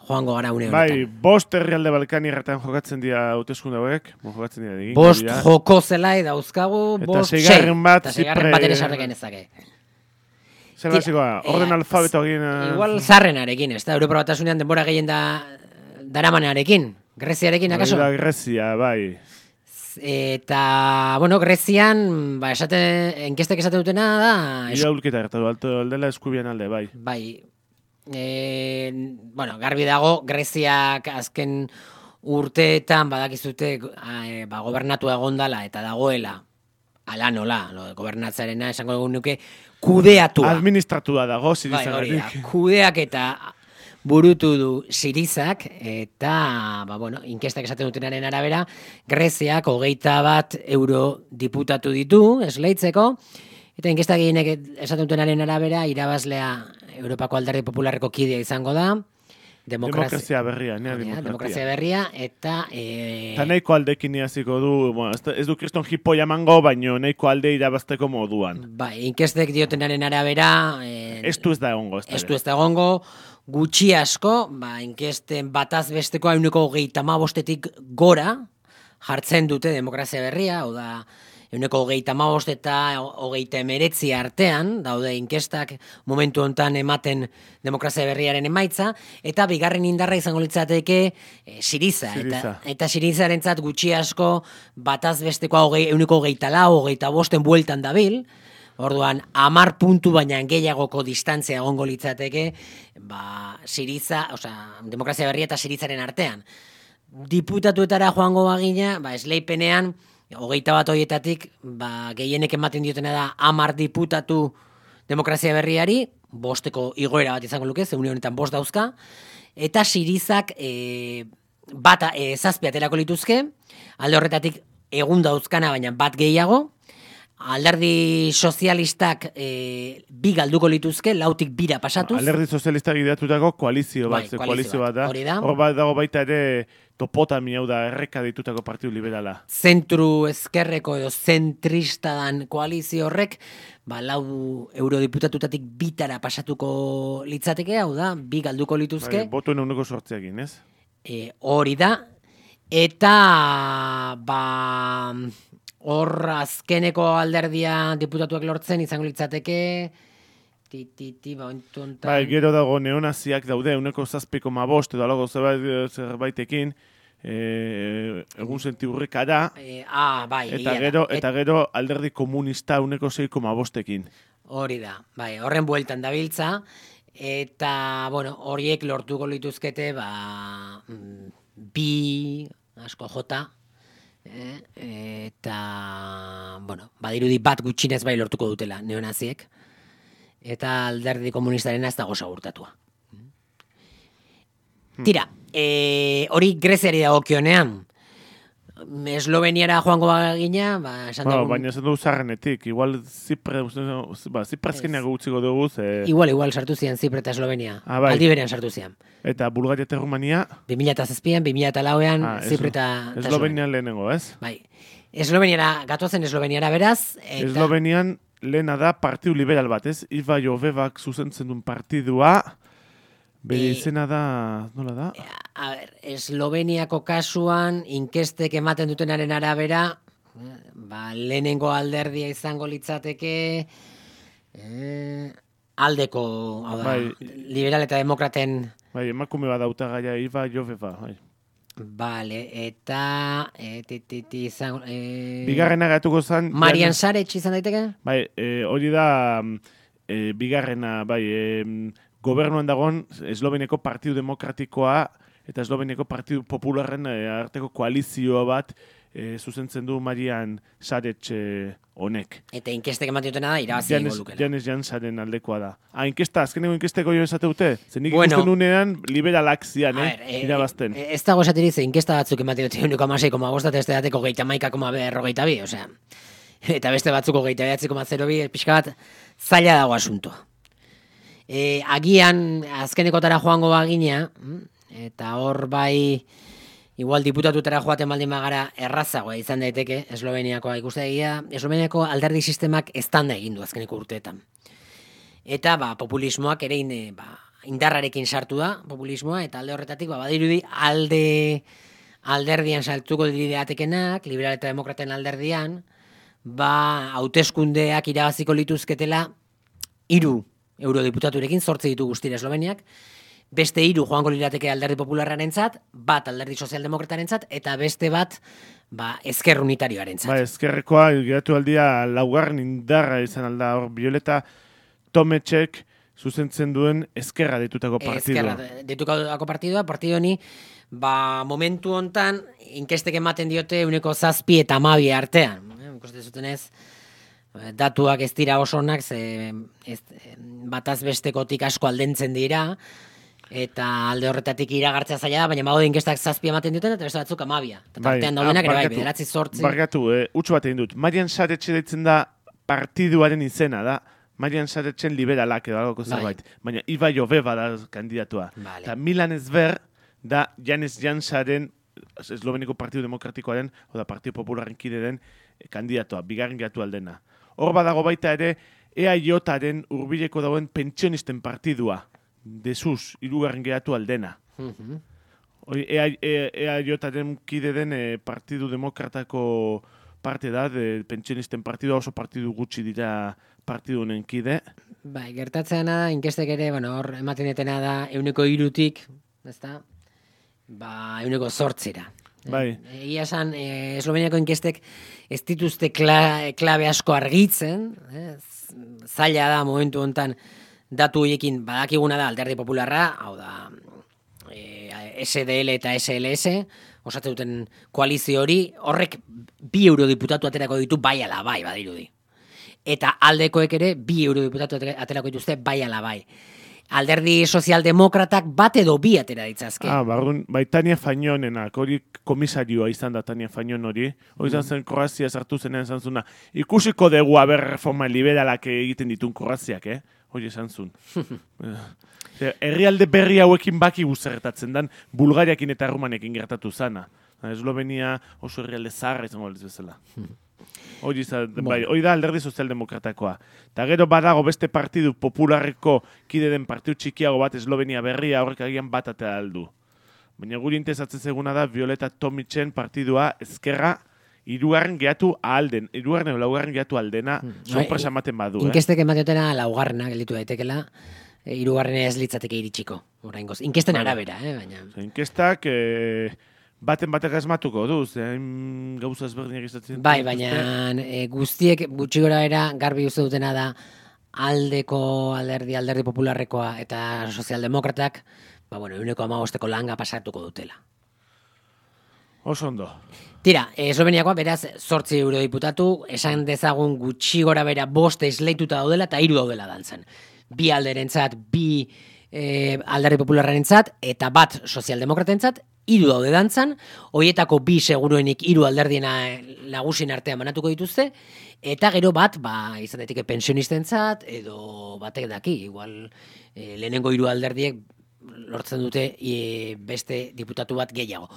Speaker 1: joango gara une honetan.
Speaker 5: Bai, bost herrialde Balkanierretan jokatzen dira hauteskunde hauek, jokatzen dira digin.
Speaker 1: Bost joko zelai dauzkagu, bost sei.
Speaker 5: Eta seigarren bat,
Speaker 1: eta seigarren bat ere sarreken ezake.
Speaker 5: Zer basikoa, orden
Speaker 1: eh,
Speaker 5: alfabeto egin...
Speaker 1: Igual zarrenarekin, ez da, Europar Batasunean denbora gehien da daramanarekin, Greziarekin, akaso?
Speaker 5: Bai, da Grezia, bai.
Speaker 1: Eta, bueno, Grezian, ba, esate, enkestek esate dutena da...
Speaker 5: Ira ulketa gertatu, alto aldela eskubian alde, bai.
Speaker 1: Bai. E, bueno, garbi dago, Greziak azken urteetan badakizute e, ba, gobernatu egondala eta dagoela, ala nola, lo, gobernatzarena esango dugu nuke, kudeatua.
Speaker 5: Administratua dago,
Speaker 1: bai,
Speaker 5: zirizagatik.
Speaker 1: Kudeak eta burutu du Sirizak, eta, ba, bueno, inkestak esaten dutenaren arabera, Greziak hogeita bat euro diputatu ditu, esleitzeko, eta inkestak gehienek esaten dutenaren arabera, irabazlea Europako Alderdi Popularreko kidea izango da,
Speaker 5: Demokrazia berria, nea
Speaker 1: demokrazia.
Speaker 5: demokrazia.
Speaker 1: berria, eta... E...
Speaker 5: Eta nahiko aldekin iaziko du, bueno, ez, ez du kriston hipoia emango, baino nahiko alde irabazteko moduan.
Speaker 1: Bai, inkestek diotenaren arabera... E...
Speaker 5: Estu ez da egongo. Ez
Speaker 1: Estu ez da egongo, gutxi asko, ba, inkesten bataz besteko hauneko hogeita hamabostetik gora jartzen dute demokrazia berria, hau da, euneko hogeita hamabost eta hogeita emeretzi artean, daude inkestak momentu hontan ematen demokrazia berriaren emaitza, eta bigarren indarra izango litzateke e, Siriza,
Speaker 5: Siriza.
Speaker 1: eta, eta Sirizarentzat gutxi asko bataz besteko hogei, euneko hogeita lau, hogeita bosten bueltan dabil. Orduan, amar puntu baina gehiagoko distantzia egongo litzateke, ba, Siriza, osea, demokrazia berria eta Sirizaren artean. Diputatuetara joango bagina, ba, esleipenean, hogeita bat horietatik, ba, gehienek ematen diotena da amar diputatu demokrazia berriari, bosteko igoera bat izango luke, zeune honetan bost dauzka, eta Sirizak e, bat e, zazpi aterako lituzke, alde horretatik egun dauzkana, baina bat gehiago, alderdi sozialistak e, bi galduko lituzke, lautik bira pasatuz.
Speaker 5: Alderdi sozialistak ideatutako koalizio bat,
Speaker 1: bai,
Speaker 5: koalizio bat da.
Speaker 1: Hori da.
Speaker 5: Hor bat dago baita ere topotami, hau da, erreka ditutako partidu liberala.
Speaker 1: Zentru ezkerreko edo zentrista dan koalizio horrek, ba, lau eurodiputatutatik bitara pasatuko litzateke, hau da, bi galduko lituzke.
Speaker 5: Bai, botuen eguneko sortzeakin, ez?
Speaker 1: E, hori da, eta ba, hor azkeneko alderdia diputatuak lortzen izango litzateke, ti, ti, ti, ba, ontuntan...
Speaker 5: Bai, gero dago neonaziak daude, eguneko zazpiko mabost, edo alago zerbait, zerbaitekin, e, egun senti hurrikara,
Speaker 1: E, ah, bai,
Speaker 5: eta
Speaker 1: egia
Speaker 5: gero,
Speaker 1: da.
Speaker 5: eta gero alderdi komunista eguneko zeiko mabostekin.
Speaker 1: Hori da, bai, horren bueltan dabiltza, eta, bueno, horiek lortuko lituzkete, ba, mm, bi, asko jota, eh? eta, bueno, badirudi bat gutxinez bai lortuko dutela neonaziek, eta alderdi komunistarena ez dago segurtatua. Tira, e, hori Greziari dagokionean, Esloveniara joango bagina, ba, esan
Speaker 5: Bueno,
Speaker 1: dugun...
Speaker 5: baina esan dugu zarrenetik, igual Zipre, ba, Ziprazkeneak utziko dugu, ze...
Speaker 1: Igual, igual, sartu zian Zipre eta Eslovenia.
Speaker 5: Ah, bai.
Speaker 1: Aldi berean sartu zian.
Speaker 5: Eta Bulgaria eta Rumania,
Speaker 1: bi mila zazpian, bi mila lauean,
Speaker 5: ah,
Speaker 1: Zipre eta... eta
Speaker 5: Eslovenian lehenengo, ez?
Speaker 1: Bai. Esloveniara, gatozen Esloveniara beraz, eta...
Speaker 5: Eslovenian lehena da partidu liberal bat, ez? Iva Jovevak zuzentzen duen partidua, bere
Speaker 1: E-
Speaker 5: izena da, nola da?
Speaker 1: A ber, Esloveniako kasuan, inkestek ematen dutenaren arabera, eh, ba, lehenengo alderdia izango litzateke, eh, aldeko, hau da,
Speaker 5: Bai.
Speaker 1: liberal eta demokraten...
Speaker 5: Bai, emakume bat hautagaia Iva Joveva, bai.
Speaker 1: Vale, eta... E, ti, ti, ti, izango... E,
Speaker 5: Bigarrena gatuko zen...
Speaker 1: Marian Saretx izan daiteke?
Speaker 5: Bai, e, hori da mm, e, bigarrena, bai, e, gobernuan dagoen Esloveniako Partidu Demokratikoa eta Esloveniako Partidu Popularren e, arteko koalizio bat e, zuzentzen du Marian Saretx e, honek.
Speaker 1: Eta inkestek ematen dutena da, irabazi
Speaker 5: Janes,
Speaker 1: egingo lukela.
Speaker 5: Janes Jansaren aldekoa da. Ah, inkesta, azkeneko inkesteko jo esate dute? Zer nik
Speaker 1: Bueno.
Speaker 5: ikusten unean liberalak zian,
Speaker 1: A
Speaker 5: eh?
Speaker 1: ber, e,
Speaker 5: irabazten.
Speaker 1: e, ez dago esateri ze inkesta batzuk ematen dute uniko amasei koma bost eta beste dateko geita maika koma berrogeita bi, osea. Eta beste batzuko geita behatzi koma zero bi, pixka bat zaila dago asuntoa. E, agian azkenekotara joango bagina, mm, eta hor bai igual diputatutara joaten baldin bagara errazagoa izan daiteke Esloveniakoa ikustegia, Esloveniako alderdi sistemak estanda egin du azkeneko urteetan. Eta ba, populismoak ere ine, ba, indarrarekin sartu da, populismoa, eta alde horretatik ba, badirudi alde alderdian saltuko dideatekenak, liberal eta demokraten alderdian, ba, hauteskundeak irabaziko lituzketela hiru eurodiputaturekin, zortzi ditu guztira Esloveniak, beste hiru joango lirateke alderdi popularrarentzat, bat alderdi sozialdemokratarentzat, eta beste bat ba, ezker unitarioarentzat.
Speaker 5: Ba, ezkerrekoa, geratu aldia laugarren indarra izan alda hor, Violeta Tometxek zuzentzen duen ezkerra ditutako partidua.
Speaker 1: Ezkerra ditutako partidua, partidu honi, ba, momentu hontan, inkestek ematen diote uneko zazpi eta amabi artean. Eh, ikuste zutenez, datuak ez dira oso onak, ze ez, bataz bestekotik asko aldentzen dira, eta alde horretatik iragartzea zaila da, baina badaude inkestak zazpi ematen duten, eta beste batzuk amabia. Eta tartean daudenak ere bai, bederatzi zortzi.
Speaker 5: Barkatu, eh, utsu bat egin dut. Marian Saretxe deitzen da partiduaren izena da, Marian Saretxen liberalak edo algo zerbait. Baina Iva Joveva da kandidatua.
Speaker 1: Vale.
Speaker 5: Eta Milan Ezber da Janes Jansaren, Esloveniko Partidu Demokratikoaren, oda Partidu Popularren kide den eh, kandidatua, bigarren gatu aldena. Hor badago baita ere, E A Jaren hurbileko dagoen pentsionisten partidua, desuz, hirugarren geratu aldena.
Speaker 1: Mhm.
Speaker 5: Hori E A Jaren kide den eh, Partidu Demokratako parte da, de pentsionisten partidua, oso partidu gutxi dira partidu honen kide.
Speaker 1: Bai, gertatzeana da, inkestek ere, bueno, hor ematen detena da, euneko irutik, ezta? Ba, euneko zortzira.
Speaker 5: Bai.
Speaker 1: Egia esan, e, Esloveniako inkestek ez dituzte kla, klabe asko argitzen, eh? Zaila da momentu hontan datu horiekin badakiguna da alderdi popularra, hau da e, S D L eta S L S, osatzen duten koalizio hori, horrek bi eurodiputatu aterako ditu bai ala bai, badirudi. Eta aldekoek ere bi eurodiputatu aterako dituzte bai ala bai. alderdi sozialdemokratak bat edo bi atera ditzazke.
Speaker 5: Ah, barrun, bai Tania Fainonenak, hori komisarioa izan da Tania Fainon hori. Hori izan zen Kroazia sartu zenean izan zuna. Ikusiko dugu aber reforma liberalak egiten ditun Kroaziak, eh? Hori esan zuen. Herrialde berri hauekin baki guzerretatzen dan, Bulgariakin eta Rumanekin gertatu zana. Eslovenia oso herrialde zaharra izango bezala. Hori bai, hori da alderdi sozialdemokratakoa. Eta gero badago beste partidu popularreko kide den partidu txikiago bat Eslovenia berria horrek agian bat atea aldu. Baina guri interesatzen zeguna da Violeta Tomitzen partidua ezkerra hirugarren gehatu ahalden, hirugarren edo laugarren gehatu aldena sorpresa ematen badu.
Speaker 1: Inkestek emateotena laugarrena gelditu daitekela, hirugarren ez litzateke iritsiko. Oraingoz, inkesten arabera, eh, baina.
Speaker 5: Inkestak eh, baten batek asmatuko du, zein gauza ezberdinak izatzen.
Speaker 1: Bai, baina e, guztiek gutxi gora era garbi uste dutena da aldeko alderdi, alderdi popularrekoa eta sozialdemokratak, ba bueno, ehuneko hamabosteko langa pasatuko dutela.
Speaker 5: Oso ondo.
Speaker 1: Tira, Esloveniakoa beraz zortzi eurodiputatu, esan dezagun gutxi gora bera bost esleituta daudela eta hiru daudela dantzan. Bi alderentzat, bi e, alderdi popularrarentzat eta bat sozialdemokratentzat, hiru daude dantzan, hoietako bi seguruenik hiru alderdiena nagusien artean banatuko dituzte, eta gero bat, ba, izan daiteke pensionistentzat, edo batek daki, igual e, lehenengo hiru alderdiek lortzen dute e, beste diputatu bat gehiago.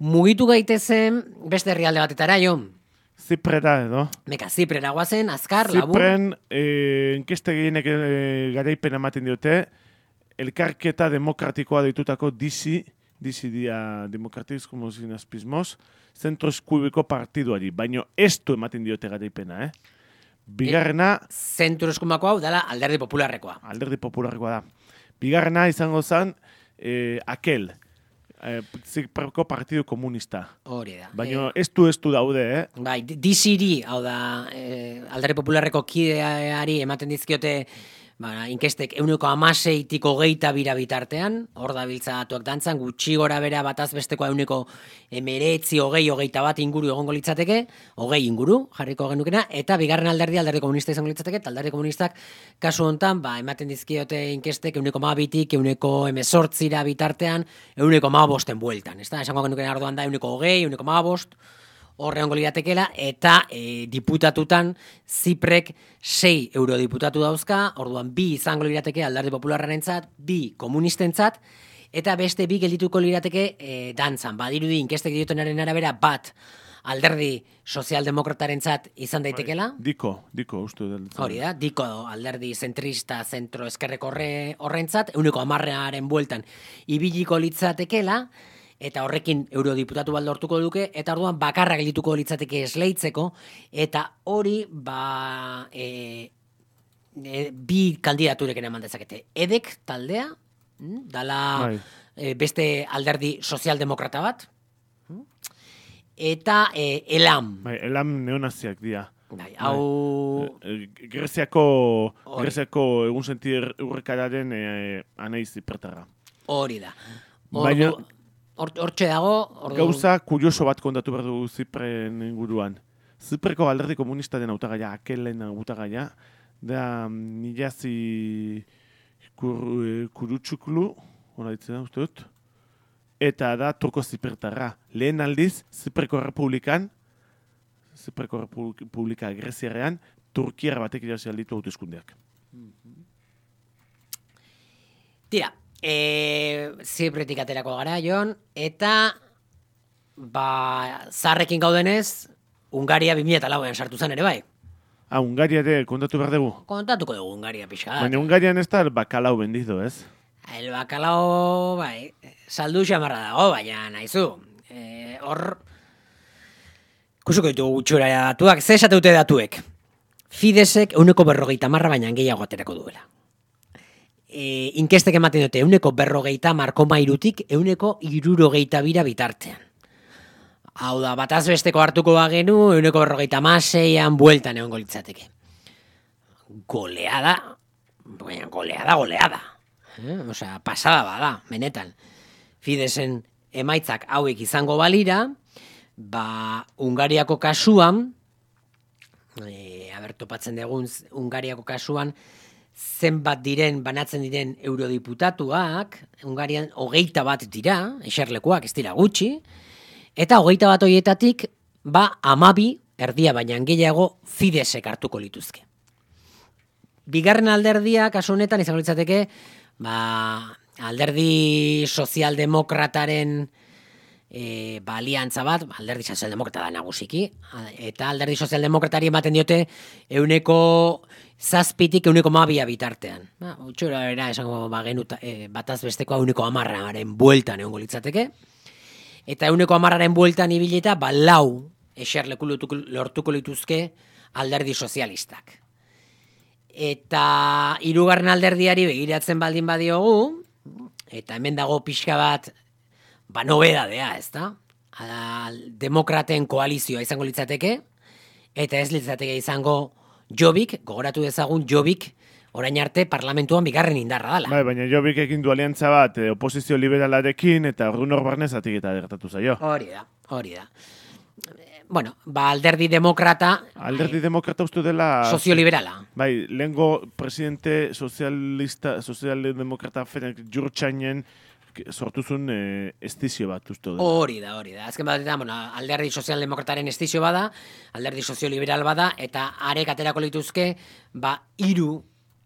Speaker 1: Mugitu gaitezen beste herrialde batetara, jo?
Speaker 5: Ziprera edo.
Speaker 1: Meka, Ziprera guazen, azkar, labur.
Speaker 5: Zipren, eh, inkeste gehienek eh, garaipen ematen diote, elkarketa demokratikoa deitutako disi, disi dia demokratiz como sinazpismos, zentro eskuibiko partiduari, baino ez du ematen diote garaipena, eh? Bigarrena...
Speaker 1: E, zentro eskumako hau dala alderdi popularrekoa.
Speaker 5: Alderdi popularrekoa da. Bigarrena izango zen, eh, akel, eh, Zipreko partidu komunista.
Speaker 1: Hori da.
Speaker 5: Baina ez du ez du daude, eh?
Speaker 1: Bai, diziri, hau da, eh, alderdi popularreko kideari ematen dizkiote, ba, inkestek euneko amaseitik hogeita bira bitartean, hor da biltzatuak dantzan, gutxi gora bera bataz bestekoa euneko emeretzi, hogei, hogeita bat inguru egongo litzateke, hogei inguru jarriko genukena, eta bigarren alderdi, alderdi komunista izango litzateke, eta alderdi komunistak kasu hontan, ba, ematen dizkiote inkestek euneko mabitik, euneko emezortzira bitartean, euneko mabosten bueltan, ez da? Esango genukena arduan da euneko hogei, euneko mabost, horre ongo liratekela, eta e, diputatutan Ziprek sei eurodiputatu dauzka, orduan bi izango lirateke alderdi popularrarentzat, bi komunistentzat, eta beste bi geldituko lirateke e, dantzan. Badirudi inkestek diotenaren arabera bat alderdi sozialdemokratarentzat izan daitekela.
Speaker 5: Diko, diko, uste dut.
Speaker 1: Hori da, diko alderdi zentrista zentro eskerreko horrentzat, euneko hamarrearen bueltan ibiliko litzatekela, eta horrekin eurodiputatu bat lortuko duke, eta orduan bakarra geldituko litzateke esleitzeko, eta hori ba, e, e, bi kandidatureken eman dezakete. Edek taldea, dala e, beste alderdi sozialdemokrata bat, eta e, Elam.
Speaker 5: Bai, Elam neonaziak dira.
Speaker 1: Bai, hau...
Speaker 5: Greziako, Greziako egun sentir urrekararen e, anaiz zipertarra.
Speaker 1: Hori da.
Speaker 5: Baina...
Speaker 1: Hortxe dago... Ordu...
Speaker 5: Gauza kurioso bat kontatu behar dugu Zipren inguruan. Zipreko alderdi komunista den hautagaia, akelen hautagaia, da nilazi kur, kurutxuklu, hori ditzen da, uste dut, eta da turko zipertarra. Lehen aldiz, Zipreko Republikan, Zipreko Republika Greziarrean, Turkiara batek irazi alditu hauteskundeak.
Speaker 1: Tira, E, Zipretik aterako gara, Jon, eta ba, zarrekin gaudenez, Hungaria bi mila lauean sartu zen ere bai.
Speaker 5: Ah, Hungaria ere kontatu behar dugu?
Speaker 1: Kontatuko dugu Hungaria pixka.
Speaker 5: Baina Hungarian ez da el bakalau bendizo, ez?
Speaker 1: El bakalau, bai, saldu xamarra dago, baina nahizu. E, hor, kusuko ditugu gutxura datuak, ze esate dute datuek. Fidesek euneko berrogeita marra baina gehiago aterako duela. E, inkestek ematen dute euneko berrogeita markoma irutik euneko irurogeita bira bitartean. Hau da, bataz besteko hartuko bagenu, euneko berrogeita maseian bueltan egon litzateke. Goleada, baina goleada, goleada. Eh? Osea, pasada bada, benetan. Fidesen emaitzak hauek izango balira, ba, Hungariako kasuan, e, aber topatzen dugun Hungariako kasuan, zenbat diren banatzen diren eurodiputatuak, Hungarian hogeita bat dira, eserlekuak ez dira gutxi, eta hogeita bat horietatik, ba, amabi, erdia baina gehiago, Fidesek hartuko lituzke. Bigarren alderdia, kasu honetan, izango litzateke, ba, alderdi sozialdemokrataren e, ba, aliantza bat, alderdi sozialdemokrata da nagusiki, eta alderdi sozialdemokratari ematen diote euneko zazpitik euneko mabia bitartean. Ba, utxura era, esango ba, genuta, e, bataz bestekoa euneko amarraren bueltan egongo litzateke, eta euneko amarraren bueltan ibileta, ba, lau eserleku lortuko lituzke alderdi sozialistak. Eta hirugarren alderdiari begiratzen baldin badiogu, eta hemen dago pixka bat, ba, nobedadea, ez da? Demokraten koalizioa izango litzateke, eta ez litzateke izango Jobbik, gogoratu dezagun Jobbik, orain arte parlamentuan bigarren indarra dala.
Speaker 5: Bai, baina Jobbik ekin du aliantza bat, eh, oposizio liberalarekin, eta orduan hor barnez atik eta gertatu zaio.
Speaker 1: Hori da, hori da. Bueno, ba, alderdi demokrata...
Speaker 5: Alderdi demokrata uste dela...
Speaker 1: Sozioliberala.
Speaker 5: Bai, lehengo presidente sozialista, sozialdemokrata Ferenc Gyurcsány sortuzun eh, estizio bat uste dela.
Speaker 1: Hori da, hori da. Azken bat, bueno, alderdi sozialdemokrataren estizio bada, alderdi sozioliberal bada, eta arek aterako lituzke, ba, hiru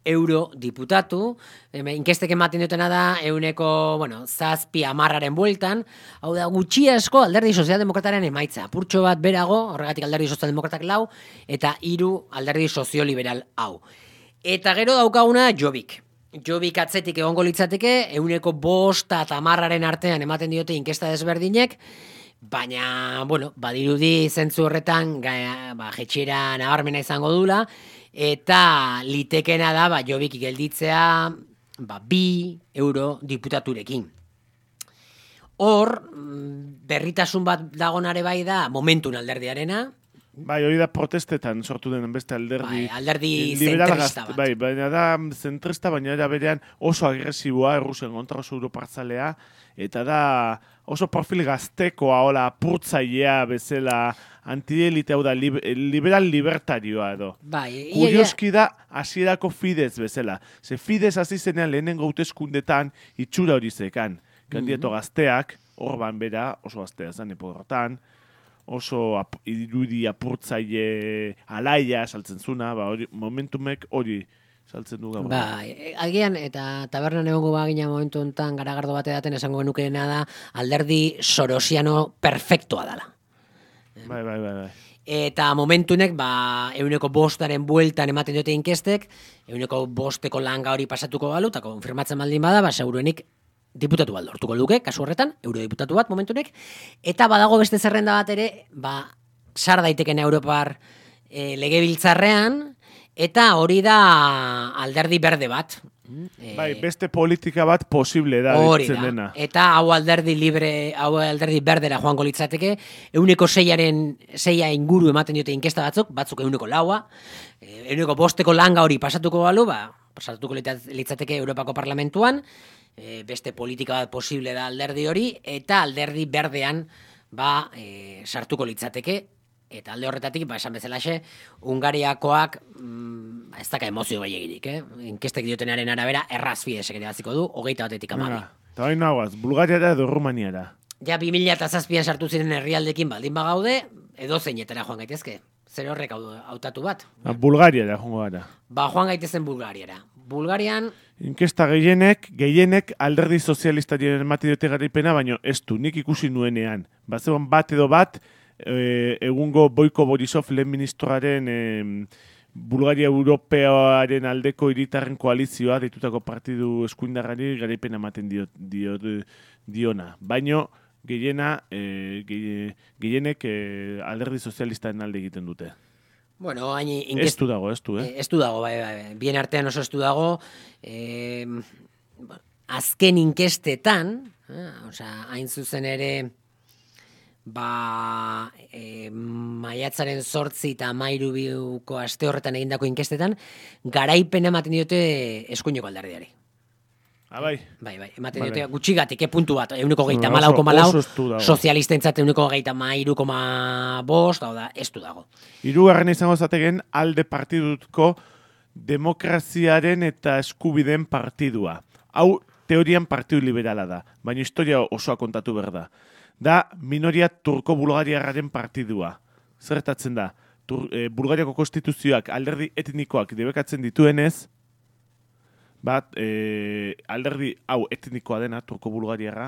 Speaker 1: euro diputatu, inkestek ematen dutena da, euneko, bueno, zazpi amarraren bueltan, hau da, gutxi asko alderdi sozialdemokrataren emaitza, purtxo bat berago, horregatik alderdi sozialdemokratak lau, eta hiru alderdi sozioliberal hau. Eta gero daukaguna Jobbik. Jobbik atzetik egongo litzateke, euneko bosta eta amarraren artean ematen diote inkesta desberdinek, baina, bueno, badirudi zentzu horretan, ga, ba, jetxera nabarmena izango dula, eta litekena da, ba, Jobbik gelditzea, ba, bi euro diputaturekin. Hor, berritasun bat dagonare bai da, momentun alderdiarena.
Speaker 5: Bai, hori da protestetan sortu den beste alderdi.
Speaker 1: Bai, alderdi zentrista bat.
Speaker 5: Bai, baina da zentrista, baina da berean oso agresiboa, Errusian kontra oso europartzalea, eta da oso profil gaztekoa, hola, apurtzailea bezala, antielite, hau da, liberal libertarioa edo.
Speaker 1: Bai,
Speaker 5: kurioski da, hasierako Fidesz bezala. Ze Fidesz hasi zenean lehenengo hauteskundetan itxura hori zekan. Kandidato gazteak, Orban bera, oso gaztea zan, eporrotan, oso ap, irudi apurtzaile alaia saltzen zuna, ba, hori, momentumek hori saltzen du gaur.
Speaker 1: Ba, agian, eta tabernan egongo bagina momentu honetan garagardo bate daten esango genukeena da, alderdi sorosiano perfektoa dala.
Speaker 5: Bai, bai, bai, bai.
Speaker 1: Eta momentunek, ba, euneko bostaren bueltan ematen dute inkestek, euneko bosteko langa hori pasatuko balu, eta konfirmatzen baldin bada, ba, seguruenik diputatu bat lortuko luke, kasu horretan, eurodiputatu bat momentunek, eta badago beste zerrenda bat ere, ba, sar daiteken Europar e, legebiltzarrean, eta hori da alderdi berde bat.
Speaker 5: Bai, beste politika bat posible da.
Speaker 1: Hori da, eta hau alderdi libre, hau alderdi berdera joango litzateke, euneko seiaren, seia inguru ematen diote inkesta batzuk, batzuk euneko laua, euneko bosteko langa hori pasatuko balu, ba, pasatuko litzateke Europako Parlamentuan, e, beste politika bat posible da alderdi hori, eta alderdi berdean ba, e, sartuko litzateke, eta alde horretatik, ba, esan bezalaxe, Hungariakoak mm, ez daka emozio gehiagirik, eh? Inkestek diotenaren arabera, erraz Fideszek ere baziko du, hogeita batetik amabi.
Speaker 5: Eta bain nagoaz, Bulgariara edo Rumaniara.
Speaker 1: Ja, bi mila eta zazpian sartu ziren herrialdekin baldin bagaude, edo zeinetara joan gaitezke. Zer horrek hautatu bat.
Speaker 5: Ba, Bulgariara joango gara.
Speaker 1: Ba, joan gaitezen Bulgariara. Bulgarian...
Speaker 5: Inkesta gehienek, gehienek alderdi sozialistaren emati dute garaipena, baina ez du, nik ikusi nuenean. Ba, zegoen bat edo bat, E, egungo Boiko Borisov lehen ministroaren e, Bulgaria Europearen aldeko hiritarren koalizioa deitutako partidu eskuindarrari garaipena ematen dio, dio, diona. Baino gehiena e, gehienek e, alderdi sozialistaren alde egiten dute.
Speaker 1: Bueno, hain
Speaker 5: inkest... Ez du dago, ez du, eh?
Speaker 1: Ez du dago, bai, bai. Bien artean oso ez du dago. Eh, azken inkestetan, eh, osea, hain zuzen ere... ba, e, maiatzaren zortzi eta amairu biuko aste horretan egindako inkestetan, garaipen ematen diote eskuineko alderdiari.
Speaker 5: Ah, bai.
Speaker 1: Bai, bai, ematen diote gutxigatik, eh, puntu bat, euneko geita malau koma lau, sozialistentzat euneko geita mairu koma bost, hau da, ez du dago.
Speaker 5: Hirugarren izango zategen alde partidutko demokraziaren eta eskubideen partidua. Hau teorian partidu liberala da, baina historia osoa kontatu behar da. Da minoria turko-bulgariarraren partidua. Zertatzen da, Tur, e, Bulgariako konstituzioak alderdi etnikoak debekatzen dituenez, bat e, alderdi hau etnikoa dena, turko-bulgariarra,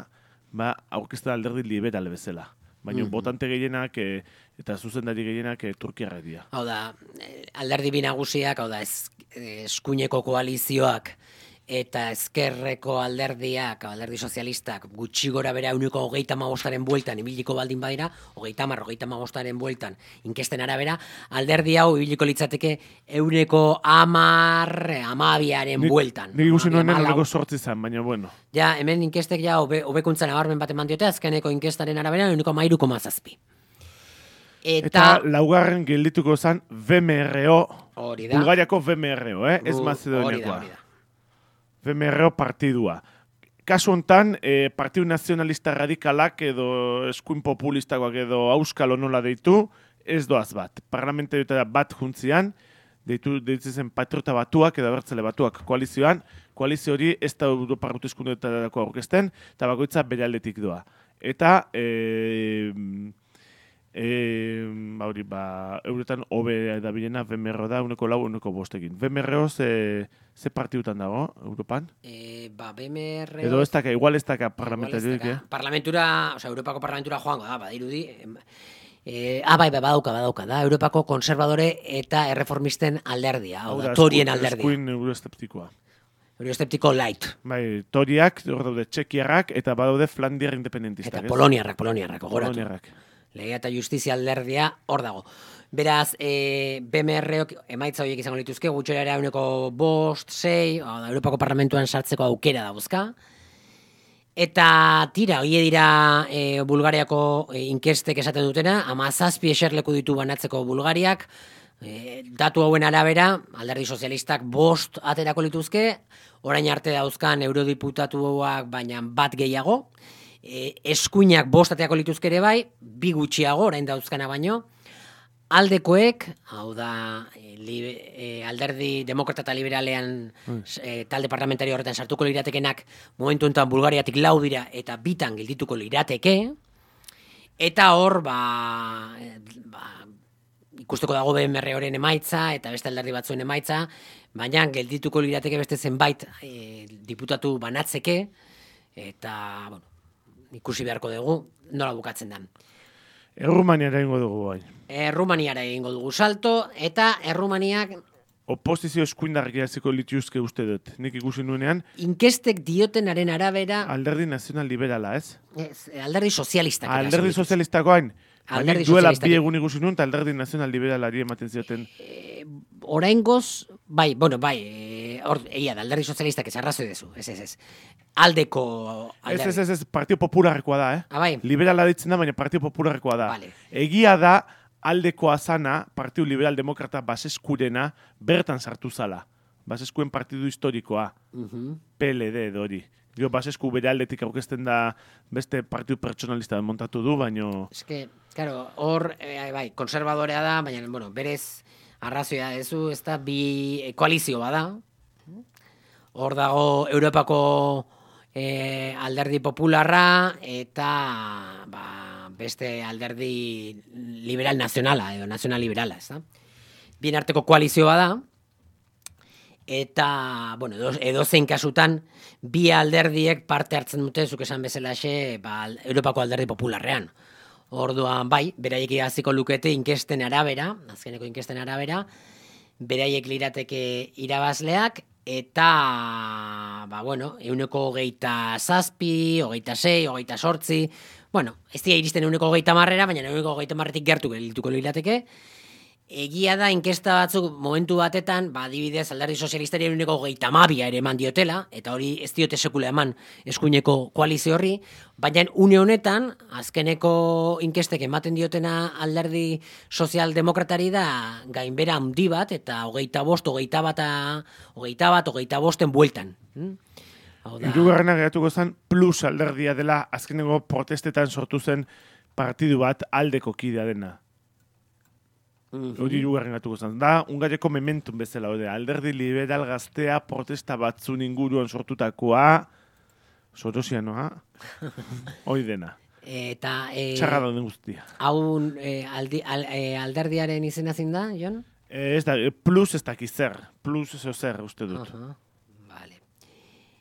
Speaker 5: ba, aurkezten alderdi liberal bezala. Baina mm-hmm. botante gehienak e, eta zuzendari gehienak e, turkiarra dira.
Speaker 1: Hau da, alderdi bi nagusiak, hau da, ez, eskuineko koalizioak, eta ezkerreko alderdiak, alderdi sozialistak, gutxi gora bera uniko hogeita hamabostaren bueltan, ibiliko baldin badira, hogeita hamar, hogeita hamabostaren bueltan, inkesten arabera, alderdi hau ibiliko litzateke euneko hamar, hamabiaren bueltan.
Speaker 5: Nik ikusi nuenen uneko sortzi zen, baina bueno.
Speaker 1: Ja, hemen inkestek ja hobe, hobekuntzan abarmen bat eman diote, azkeneko inkestaren arabera, uniko hamairu koma zazpi. Eta,
Speaker 5: eta laugarren geldituko zen V M R O, Bulgariako V M R O, eh? Ez Mazedoniakoa. V M R O partidua. Kasu hontan, eh, Partidu Nazionalista Radikalak edo eskuin populistakoak edo auskalo nola deitu, ez doaz bat. Parlamentarioetara bat juntzian, deitu deitzen patriota batuak edo abertzale batuak koalizioan, koalizio hori ez da Europar hauteskundeetarako aurkezten, eta bakoitza bere aldetik doa. Eta, eh, E, hori, ba, euretan hobe da bilena V M R O da, uneko lau, uneko bostekin. V M R O ze, ze partidutan dago, Europan?
Speaker 1: E, ba, V M R O...
Speaker 5: Edo ez daka, igual ez daka parlamentarioik, eh?
Speaker 1: Parlamentura, oza, Europako parlamentura joango da, badirudi... E, ah, bai, bai, badauka, badauka, da, Europako konservadore eta erreformisten alderdia, hau da, torien alderdia.
Speaker 5: Eskuin euroesteptikoa.
Speaker 1: Euroesteptiko light.
Speaker 5: Bai, toriak, hor daude txekiarrak, eta badaude Flandiar independentistak.
Speaker 1: Eta poloniarrak, poloniarrak, ogoratu.
Speaker 5: Poloniarrak.
Speaker 1: Legea eta justizia alderdia hor dago. Beraz, e, B M R Ok emaitza horiek izango lituzke, gutxera uneko bost, sei, Europako Parlamentuan sartzeko aukera dauzka. Eta tira, hori dira e, Bulgariako e, inkestek esaten dutena, hamazazpi eserleku ditu banatzeko Bulgariak, e, datu hauen arabera, alderdi sozialistak bost aterako lituzke, orain arte dauzkan eurodiputatuak baina bat gehiago, E, eskuinak bostateako lituzkere bai, bi gutxiago, orain dauzkana baino, aldekoek, hau da, e, libe, e, alderdi demokrata eta liberalean mm. e, talde parlamentario horretan sartuko liratekenak, momentu enten Bulgariatik lau dira, eta bitan geldituko lirateke, eta hor, ba, e, ba ikusteko dago B M R Oren emaitza, eta beste alderdi batzuen emaitza, baina geldituko lirateke beste zenbait e, diputatu banatzeke, eta, bueno, ikusi beharko dugu, nola bukatzen da.
Speaker 5: Errumaniara egingo dugu bai.
Speaker 1: Errumaniara egingo dugu salto, eta Errumaniak...
Speaker 5: Oposizio eskuindarrik iraziko lituzke uste dut. Nik ikusi nuenean...
Speaker 1: Inkestek diotenaren arabera...
Speaker 5: Alderdi nazional liberala, ez?
Speaker 1: Ez, alderdi sozialistak.
Speaker 5: Alderdi sozialistakoain. Baina duela bi egun ikusi nuen, eta alderdi nazional liberalari ematen zioten.
Speaker 1: E, oraingoz, bai, bueno, bai, e, or, egia da, alderdi sozialistak ez arrazoi dezu, ez, ez, ez. Aldeko alderdi.
Speaker 5: Ez, ez, ez, ez, Partido Popularrekoa da, eh?
Speaker 1: Ah, bai.
Speaker 5: Liberala ditzen da, baina Partido Popularrekoa da.
Speaker 1: Vale.
Speaker 5: Egia da, aldekoa zana, Partido Liberal Demokrata baseskurena, bertan sartu zala. Baseskuen partidu historikoa. Uh-huh. P L D dori. Gero basesku bere aldetik aurkezten da beste partidu pertsonalista montatu du, baino...
Speaker 1: Ez que, claro, hor, eh, bai, konservadorea da, baina, bueno, berez arrazoia dezu, ez da, bi koalizio bada. Hor dago Europako eh, alderdi popularra eta ba, beste alderdi liberal nazionala, edo nazional liberala, ez da. Bien arteko koalizio bada, eta, bueno, edo, edo zein kasutan, bi alderdiek parte hartzen dute, zuk esan bezalaxe, ba, Europako alderdi popularrean. Orduan, bai, beraiek hasiko lukete inkesten arabera, azkeneko inkesten arabera, beraiek lirateke irabazleak, eta, ba, bueno, euneko hogeita zazpi, hogeita sei, hogeita sortzi, bueno, ez dira iristen euneko hogeita marrera, baina euneko hogeita marretik gertu gelituko lirateke. Egia da, inkesta batzuk momentu batetan, ba, adibidez, alderdi sozialistari euneko hogeita mabia ere eman diotela, eta hori ez diote sekula eman eskuineko koalizio horri, baina une honetan, azkeneko inkestek ematen diotena alderdi sozialdemokratari da gainbera handi bat, eta hogeita bost, hogeita bat, hogeita bat, hogeita bosten bueltan. Hmm?
Speaker 5: Hirugarrena geratuko zen plus alderdia dela azkeneko protestetan sortu zen partidu bat aldeko kidea dena. Hori hirugarren gatuko zen. Da, Ungariako mementum bezala, hori, alderdi liberal gaztea protesta batzun inguruan sortutakoa, Sorosianoa, hori dena.
Speaker 1: Eta... E,
Speaker 5: Txarra dauden guztia.
Speaker 1: Hau e, aldi, al, e, alderdiaren izena zin da, Jon?
Speaker 5: E, ez da, plus ez dakiz zer, plus ez zer, uste dut.
Speaker 1: Uh -huh. Vale.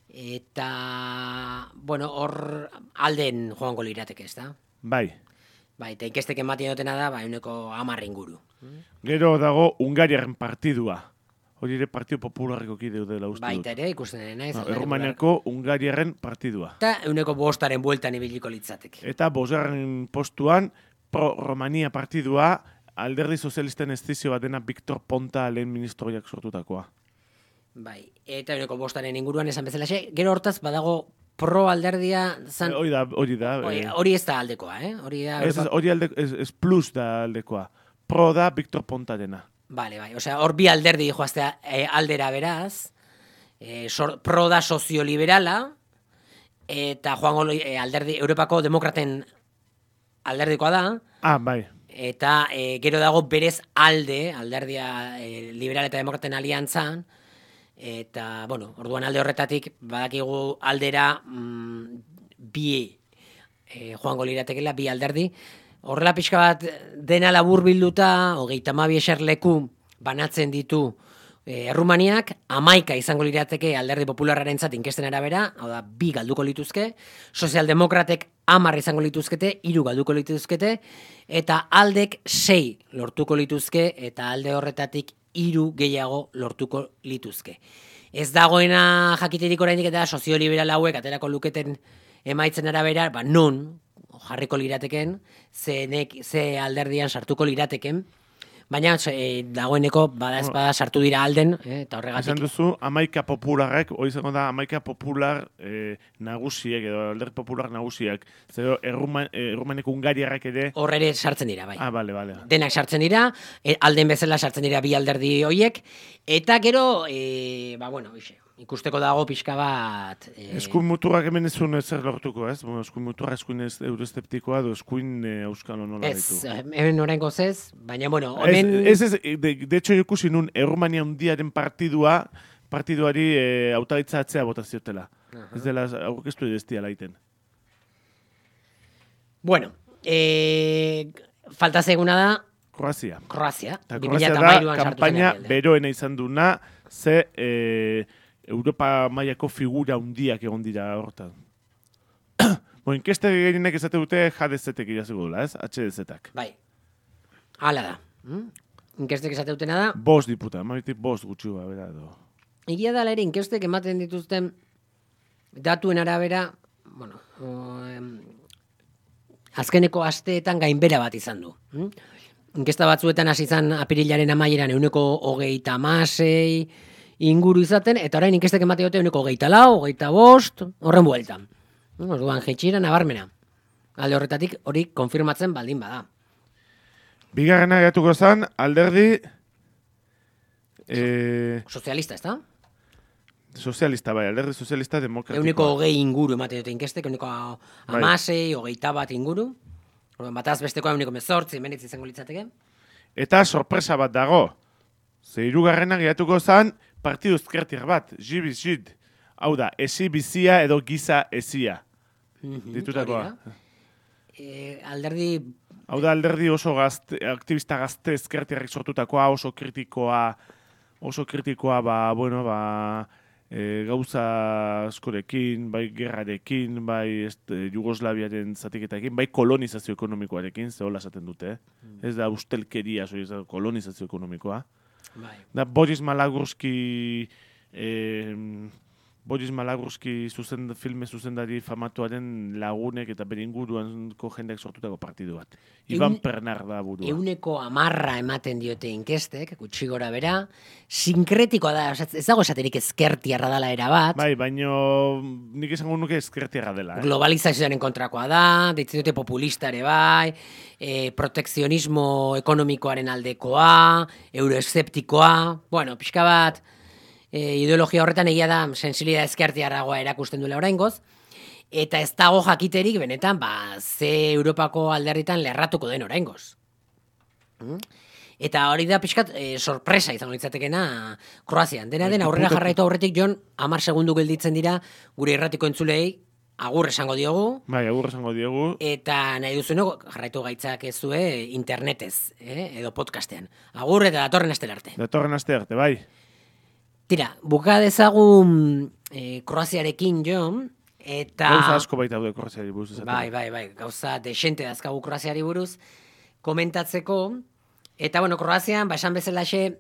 Speaker 1: Eta, bueno, hor alden joango lirateke, ez da?
Speaker 5: Bai.
Speaker 1: Bai, eta inkestek ematen dutena da, ba, euneko hamar inguru.
Speaker 5: Gero dago Ungariaren partidua. Hori ere Partido Popularreko kideu dela uste dut.
Speaker 1: Baita ere, ikusten dena, ez?
Speaker 5: No, Errumaniako Ungariaren partidua.
Speaker 1: Eta euneko bostaren bueltan ibiliko litzateke.
Speaker 5: Eta bosgarren postuan, Pro-Romania partidua, alderdi sozialisten estizio bat dena Victor Ponta lehen ministroiak sortutakoa.
Speaker 1: Bai, eta euneko bostaren inguruan esan bezalaxe, gero hortaz badago pro alderdia zan...
Speaker 5: Hori da, hori da.
Speaker 1: Hori,
Speaker 5: eh,
Speaker 1: hori ez da aldekoa, eh? Hori da...
Speaker 5: Ez, ez, hori alde, ez, ez plus da aldekoa. Pro da Victor Ponta dena.
Speaker 1: Vale, bai, osea, hor bi alderdi joaztea e, aldera beraz, e, sor, pro da sozioliberala, eta joango e, alderdi, Europako demokraten alderdikoa da,
Speaker 5: Ah, bai.
Speaker 1: eta e, gero dago berez alde, alderdia e, liberal eta demokraten aliantzan, eta, bueno, orduan alde horretatik, badakigu aldera mm, bi e, joango liratekela, bi alderdi. Horrela pixka bat dena labur bilduta, hogeita hamabi eserleku banatzen ditu e, Errumaniak, hamaika izango lirateke alderdi popularrarentzat inkesten arabera, hau da, bi galduko lituzke, sozialdemokratek hamar izango lituzkete, hiru galduko lituzkete, eta aldek sei lortuko lituzke, eta alde horretatik hiru gehiago lortuko lituzke. Ez dagoena jakiterik oraindik eta sozioliberal hauek aterako luketen emaitzen arabera, ba non jarriko lirateken, ze, nek, ze alderdian sartuko lirateken, baina e, dagoeneko bada ezpada sartu dira alden, eh, eta horregatik.
Speaker 5: Esan duzu, amaika popularrek, hori izango da, amaika popular eh, nagusiek, edo alderdi popular nagusiak, zero erruman, errumaneko Ungariarrak ere...
Speaker 1: Hor ere sartzen dira, bai.
Speaker 5: Ah, bale, bale.
Speaker 1: Denak sartzen dira, e, alden bezala sartzen dira bi alderdi hoiek, eta gero, e, ba, bueno, ixe, ikusteko dago pixka bat... E...
Speaker 5: Eskuin muturrak hemen ez zuen zer lortuko, ez? Bueno, eskuin muturra eskuin ez eurosteptikoa, do eskuin e, euskalo nola ditu.
Speaker 1: Ez, hemen oraingoz ez, baina, bueno, hemen...
Speaker 5: Ez, ez, ez de, de hecho, ikusi nun, Errumania hundiaren partidua, partiduari e, hautagaitza atzea bota ziotela. Uh -huh. Ez dela, aurkeztu edestia laiten.
Speaker 1: Bueno, e, falta zeguna da...
Speaker 5: Kroazia.
Speaker 1: Kroazia.
Speaker 5: Eta Kroazia da, kampaina beroena izan duna, ze... E, Europa mailako figura hundiak egon dira hortan. Bo, inkeste gehienek esate dute H D Z-ek iraziko dula, ez? H D Z-ak.
Speaker 1: Bai. Hala da. Hmm? Inkestek esate dutena da.
Speaker 5: Bost diputa, maitik bost gutxi ba, bera edo.
Speaker 1: Egia da ere, inkestek ematen dituzten datuen arabera, bueno, o, em, azkeneko asteetan gainbera bat izan du. Hmm? Inkesta batzuetan hasi izan apirilaren amaieran euneko hogeita hamasei inguru izaten, eta orain inkestek emate dute euneko hogeita lau, hogeita bost, horren bueltan. Orduan, jetxira nabarmena. Alde horretatik hori konfirmatzen baldin bada.
Speaker 5: Bigarrena geratuko zen, alderdi... E...
Speaker 1: Sozialista, ez da?
Speaker 5: Sozialista, bai, alderdi sozialista demokratikoa.
Speaker 1: Euneko hogei inguru emate dute inkestek, euneko amasei, hogeita bat inguru. Orduan, bataz bestekoa euneko mezortzi, menetzi izango litzateke.
Speaker 5: Eta sorpresa bat dago. Ze hirugarrena geratuko zen, partidu ezkertiar bat, jibizid. Hau da, esi bizia edo giza esia.
Speaker 1: Mm-hmm,
Speaker 5: ditutakoa.
Speaker 1: E, alderdi...
Speaker 5: Hau da, alderdi oso gazte, aktivista gazte ezkertiarrik sortutakoa, oso kritikoa, oso kritikoa, ba, bueno, ba, e, gauza askorekin, bai gerrarekin, bai este, Jugoslaviaren zatiketarekin, bai kolonizazio ekonomikoarekin, ze hola esaten dute, eh? Mm. Ez da ustelkeria, soy, ez da kolonizazio ekonomikoa.
Speaker 1: Bai.
Speaker 5: Da Boris Malagurski... Eh, Boris Malagurski zuzen, filme zuzendari famatuaren lagunek eta bere inguruanko jendeak sortutako partidu bat. Iban Eun, Pernar da burua.
Speaker 1: Euneko amarra ematen diote inkestek, gutxi gora bera, sinkretikoa da, ez dago esaterik ezkertiarra dela erabat.
Speaker 5: Bai, baino nik esango nuke ezkertiarra dela. Eh?
Speaker 1: Globalizazioaren kontrakoa da, deitzen dute populista ere bai, e, protekzionismo ekonomikoaren aldekoa, euroeszeptikoa, bueno, pixka bat... E, ideologia horretan egia da sensibilidad ezkertiarragoa erakusten duela oraingoz, eta ez dago jakiterik benetan ba, ze Europako alderritan lerratuko den oraingoz. Hmm? Eta hori da pixkat e, sorpresa izango litzatekena Kroazian. Dena den aurrera jarraitu aurretik Jon, hamar segundu gelditzen dira gure irratiko entzulei agur esango diogu.
Speaker 5: Bai, agur esango diogu.
Speaker 1: Eta nahi duzueno jarraitu gaitzak ez zue internetez, eh? edo podcastean. Agur eta datorren astera arte.
Speaker 5: Datorren aste arte, bai.
Speaker 1: Tira, buka dezagun eh, Kroaziarekin, Jon, eta...
Speaker 5: Gauza asko baita daude Kroaziari buruz. Esaten.
Speaker 1: Bai, bai, bai, gauza desente dazkagu Kroaziari buruz komentatzeko. Eta, bueno, Kroazian, ba, esan bezalaxe,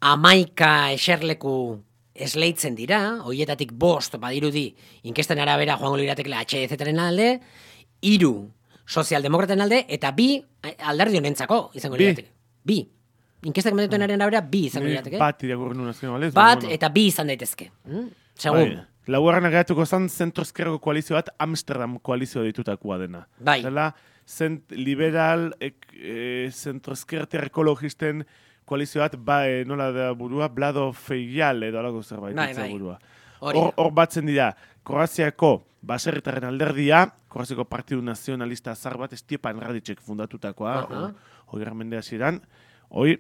Speaker 1: amaika eserleku esleitzen dira, hoietatik bost badirudi inkesten arabera joango liratekela H D Z-ren alde, hiru sozialdemokraten alde, eta bi alderdi honentzako izango
Speaker 5: Bi.
Speaker 1: lirateke. Bi. Inkestak mendetuenaren arabera bi izango lirateke.
Speaker 5: Bat irakurri nuen azken, balez?
Speaker 1: Bat
Speaker 5: Bueno.
Speaker 1: eta bi izan daitezke. Mm? Segun.
Speaker 5: Bai. Laugarren geratuko zen zentro-ezkerreko koalizio bat Amsterdam koalizio ditutakoa dena.
Speaker 1: Bai.
Speaker 5: Dela, zent, liberal, ek, e, zentro-ezkerter ekologisten koalizio bat, ba, e, nola da burua, Blado Feial edo alako zerbait.
Speaker 1: Bai,
Speaker 5: hitza
Speaker 1: bai.
Speaker 5: burua.
Speaker 1: Hori.
Speaker 5: Hor, hor batzen dira, Kroaziako baserritarren alderdia, Kroaziako Partidu Nazionalista azar bat, Stjepan Radicek fundatutakoa,
Speaker 1: Aha.
Speaker 5: hogei mende hasieran. Hoi,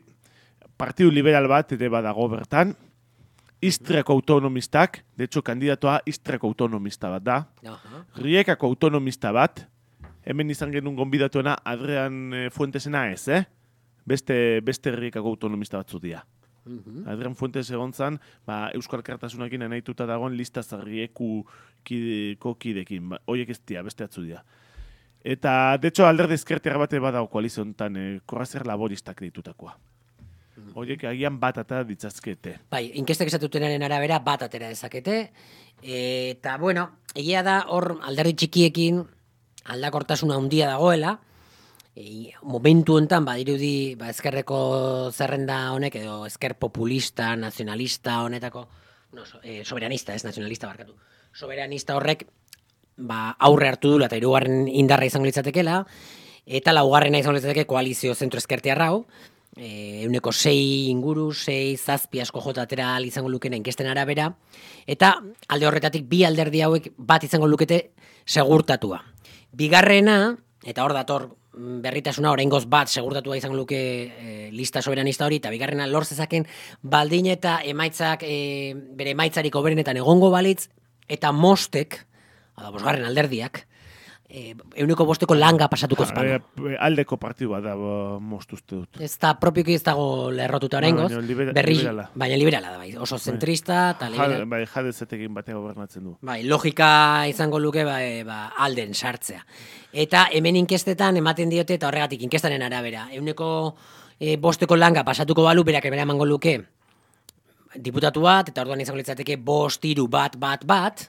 Speaker 5: Partidu Liberal bat ere badago bertan, Istriako autonomistak, de hecho, kandidatoa Istriako autonomista bat da,
Speaker 1: Aha.
Speaker 5: Riekako autonomista bat, hemen izan genuen gonbidatuena Adrian eh, Fuentesena ez, eh? Beste, beste Riekako autonomista batzu dira.
Speaker 1: Mhm.
Speaker 5: Adrian Fuentes egon zan, ba, Euskal Kartasunakin naituta dagoen lista zarrieku kideko kidekin. Ba, oiek ez dira, beste atzu dira. Eta, de hecho, alderdi ezkertiarra bate badago koaliziontan, eh, Kroaziar laboristak ditutakoa. Oiek agian bat ata ditzazkete.
Speaker 1: Bai, inkestek esatutenaren arabera bat atera dezakete. Eta, bueno, egia da hor alderdi txikiekin aldakortasuna handia dagoela. E, momentu hontan badirudi ba, ezkerreko zerrenda honek edo ezker populista, nazionalista honetako, no, so, eh, soberanista, ez nazionalista barkatu. Soberanista horrek ba, aurre hartu dula eta hirugarren indarra izango litzatekela, eta laugarrena izango litzateke koalizio zentro-ezkertiarra hau, e, euneko sei inguru, sei zazpi asko jota atera ahal izango lukena inkesten arabera, eta alde horretatik bi alderdi hauek bat izango lukete segurtatua. Bigarrena, eta hor dator berritasuna oraingoz bat segurtatua izango luke e, lista soberanista hori, eta bigarrena lor zezaken baldin eta emaitzak e, bere emaitzarik hoberenetan egongo balitz, eta mostek, ada bosgarren alderdiak, e, euneko bosteko langa pasatuko ezpano.
Speaker 5: Eh, aldeko partidua da, bo, most uste dut.
Speaker 1: Ez da propioki ez dago lerrotuta oraingoz,
Speaker 5: baina libera-
Speaker 1: berri,
Speaker 5: liberala.
Speaker 1: baina liberala da, bai, oso zentrista, eta liberala.
Speaker 5: Ja, bai, jadezetekin batean gobernatzen du.
Speaker 1: Bai, logika izango luke ba, e, ba, alden sartzea. Eta hemen inkestetan ematen diote, eta horregatik inkestaren arabera, euneko e, bosteko langa pasatuko balu, berak ebera emango luke diputatu bat, eta orduan izango litzateke bost, hiru, bat, bat, bat,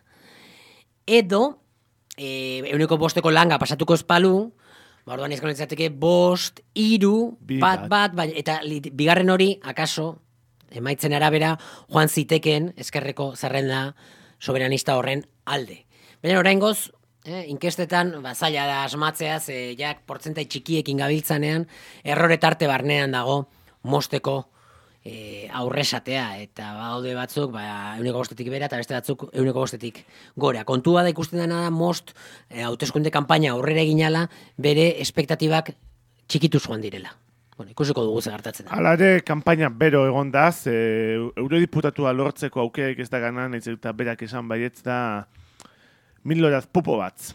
Speaker 1: edo e, euneko bosteko langa pasatuko espalu, ba, orduan izango litzateke bost, hiru,
Speaker 5: Bi,
Speaker 1: bat,
Speaker 5: bat.
Speaker 1: bat, bai, eta li, bigarren hori, akaso, emaitzen arabera, joan ziteken ezkerreko zerrenda soberanista horren alde. Baina oraingoz, eh, inkestetan, ba, zaila da asmatzea, ze jak portzentai txikiekin gabiltzanean, errore tarte barnean dago mosteko e, aurresatea, eta badaude batzuk, ba, euneko bostetik bera, eta beste batzuk euneko bostetik gora. Kontua da ikusten dena da most, e, hauteskunde kanpaina aurrera eginala, bere espektatibak txikitu joan direla. Bueno, ikusiko dugu ze gertatzen da.
Speaker 5: Hala ere, kanpaina bero egon da, ze eurodiputatua lortzeko aukerak ez da ganan, ez eta berak esan baietz da Milorad Pupovac.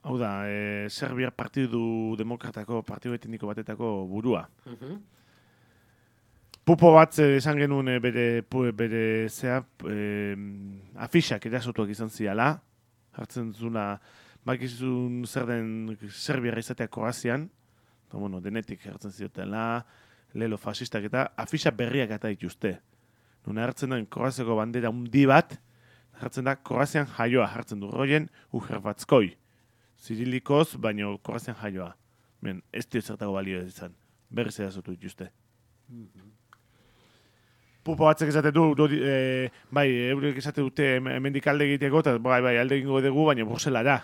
Speaker 5: Hau da, e, Serbiar Partidu Demokratako, Partidu Etniko batetako burua.
Speaker 1: Mhm.
Speaker 5: Pupovac eh, esan genuen eh, bere, pu- bere zea, eh, afixak erasotuak izan ziala, hartzen zuna, bakizun zer den Serbiarra izatea Kroazian, eta bueno, denetik hartzen ziotela, lelo fasistak eta afixa berriak eta dituzte. Nuna hartzen den Kroaziako bandera undi bat, hartzen da Kroazian jaioa hartzen du roien Uhervatskoi. Zirilikoz, baino Kroazian jaioa. Ben, ez dio zertago balio izan. Berriz erasotu dituzte. Pupo batzek esate du, du e, bai, eurek esate dute hemendik alde egiteko, eta bai, bai, alde egingo dugu, baina Bruselara.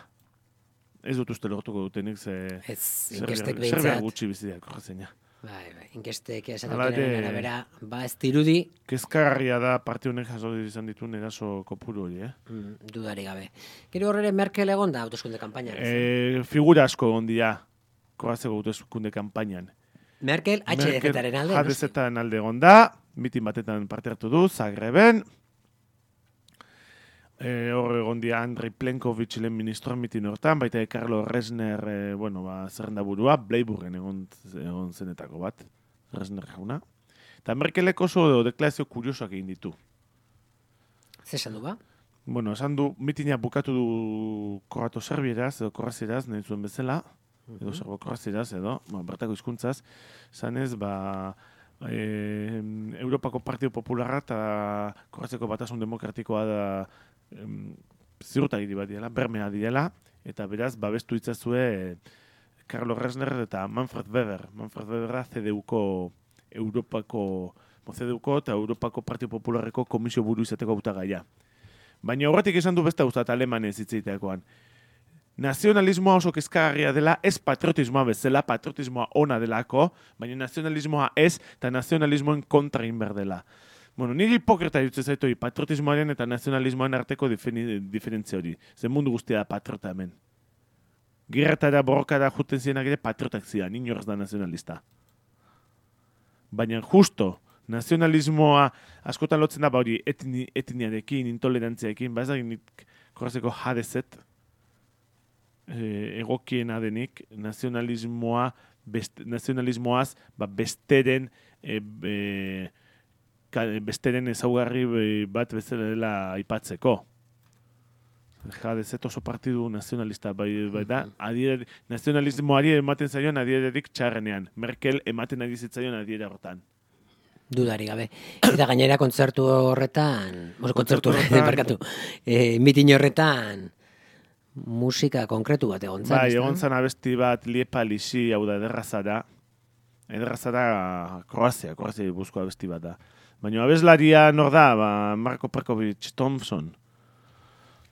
Speaker 5: Ez dut uste lortuko dutenik, ze...
Speaker 1: Ez,
Speaker 5: Serbiar-
Speaker 1: inkestek
Speaker 5: Serbiar
Speaker 1: behintzat.
Speaker 5: gutxi biziak, Kroazia.
Speaker 1: Bai, bai, inkestek
Speaker 5: Hala
Speaker 1: esatuten
Speaker 5: ere-
Speaker 1: arabera, ba ez dirudi,
Speaker 5: Kezkagarria da parte honek jaso izan dituen eraso kopuru hori, eh?
Speaker 1: mm, dudari gabe. Gero horrere Merkel egon da hauteskunde kanpainan. ez?
Speaker 5: E, figura asko egon dira Kroaziako hauteskunde kanpainan.
Speaker 1: Merkel H D Z-aren alde.
Speaker 5: H D Z-aren alde egon da, mitin batetan parte hartu du, Zagreben. E, hor egon dia Andrei Plenković lehen ministroan mitin hortan, baita Carlo Resner, e, bueno, ba, zerrenda burua, Bleiburgen egon, egon zenetako bat, Resner jauna. Eta Merkelek oso deklarazio kuriosoak egin ditu.
Speaker 1: Zer esan du ba?
Speaker 5: Bueno, esan du, mitina bukatu du kroato serbieraz, edo korrazieraz, nahi zuen bezala, edo serbo korrazieraz, edo, ba, bertako hizkuntzaz, zanez, ba, e, Europako Partido Popularra eta Korraziako Batasun Demokratikoa da em, ziurtagiri bat diela, bermea diela, eta beraz, babestu itzazue e, Carlo Resner eta Manfred Weber. Manfred Weber da C D U-ko Europako, C D U-ko eta Europako Partido Popularreko komisio buru izateko hautagaia. Baina horretik esan du beste guztat alemanez hitzeiteakoan. Nazionalismoa oso kezkagarria dela, ez patriotismoa bezala, patriotismoa ona delako, baina nazionalismoa ez, eta nazionalismoen kontra egin behar dela. Bueno, niri hipokrita dutzen zaitu patriotismoaren eta nazionalismoaren arteko diferentzia hori. Zer mundu guztia da patriota hemen. Gerretara, borrokara juten zienak ere patriotak zidan, inorz da nazionalista. Baina justo, nazionalismoa askotan lotzen da ba hori etni, etniarekin, intolerantziarekin, ba ez da nik korrazeko H D Z e, egokiena denik, nazionalismoa, best, nazionalismoaz ba besteren e, e, ka, besteren ezaugarri bat bezala dela aipatzeko. H D Z oso partidu nazionalista bai, bai da, adier, nazionalismoari ematen zaion adiererik txarrenean. Merkel ematen ari zitzaion adiera hortan.
Speaker 1: Dudari gabe. Eta gainera kontzertu horretan, bueno, kontzertu horretan, barkatu, e, mitin horretan musika konkretu bat egon zan.
Speaker 5: Bai, egon zan abesti bat Liepa Lisi, hau da, ederrazara. Ederrazara Kroazia, Kroazia buzko abesti bat da. Baina abeslaria nor da, ba, Marko Perkovic Thompson.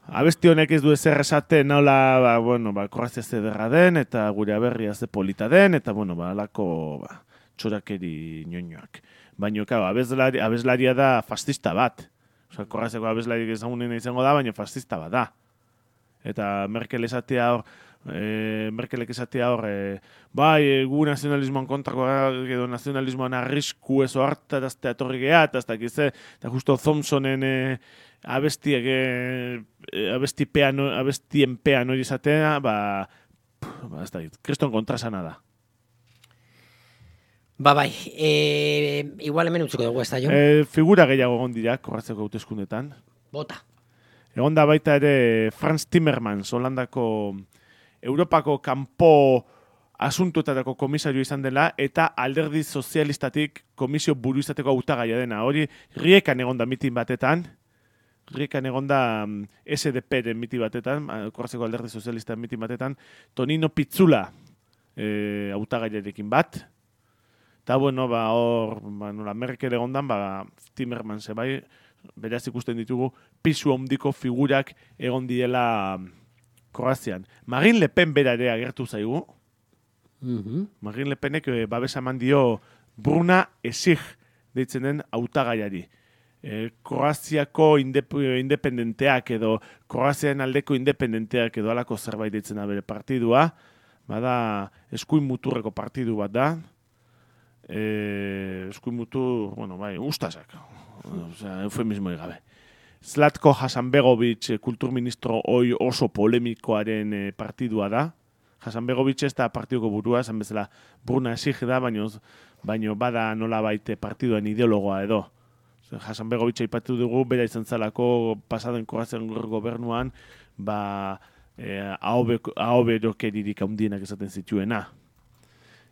Speaker 5: Abesti honek ez du ezer esaten, nola, ba, bueno, ba, Kroazia ze derra den, eta gure aberria ze polita den, eta, bueno, ba, alako, ba, txorakeri ñoñoak. Baina, kau, abeslaria, abeslaria da fascista bat. Osa, Kroaziako abeslariak ezagunen izango da, baina fascista bat da. Eta Merkel esatea hor, e, Merkelek esatea hor, e, bai, e, gu nazionalismoan kontrako edo nazionalismoan arrisku ezo hartaraztea etorri geha, eta ez dakize, eta justo Thompsonen e, abestiak, e, abestipean, abestien pean hori izatea, ba, ba ez dakit, kriston kontrasana da.
Speaker 1: Ba bai, e, igual hemen utziko dugu ez da jo?
Speaker 5: E, figura gehiago egon dira, Korraziako hauteskundetan.
Speaker 1: Bota.
Speaker 5: Egon da baita ere Franz Timmermans, Holandako Europako kanpo asuntuetako komisario izan dela, eta alderdi sozialistatik komisio buru izateko hautagaia dena. Hori, Riekan egon da mitin batetan, Riekan egon da S D P-ren mitin batetan, Korraziako alderdi sozialista mitin batetan, Tonino Pizzula e, hautagaiarekin bat. Eta, bueno, ba, hor, ba, nola, Merkel egondan, ba, Timmermans bai, beraz ikusten ditugu, pisu handiko figurak egon diela Kroazian. Marine Le Pen bera ere agertu zaigu.
Speaker 1: Mm-hmm.
Speaker 5: Marine Le Penek e, babesa eman dio Bruna Esig deitzen den hautagaiari. E, Kroaziako indep independenteak edo Kroazian aldeko independenteak edo alako zerbait deitzen da bere partidua. Bada eskuin muturreko partidu bat da. Eh, eskuin mutu, bueno, bai, ustasak. Osea, eufemismo gabe. Zlatko Hasanbegovic, kulturministro hoi oso polemikoaren e, partidua da. Hasanbegovic ez da partiduko burua, esan bezala Bruna Esig da, baino, baino bada nola baite partiduan ideologoa edo. Hasanbegovic aipatu dugu, bera izan zalako pasaden Kroazian gobernuan, ba, e, ahobekeririk handienak esaten zituena.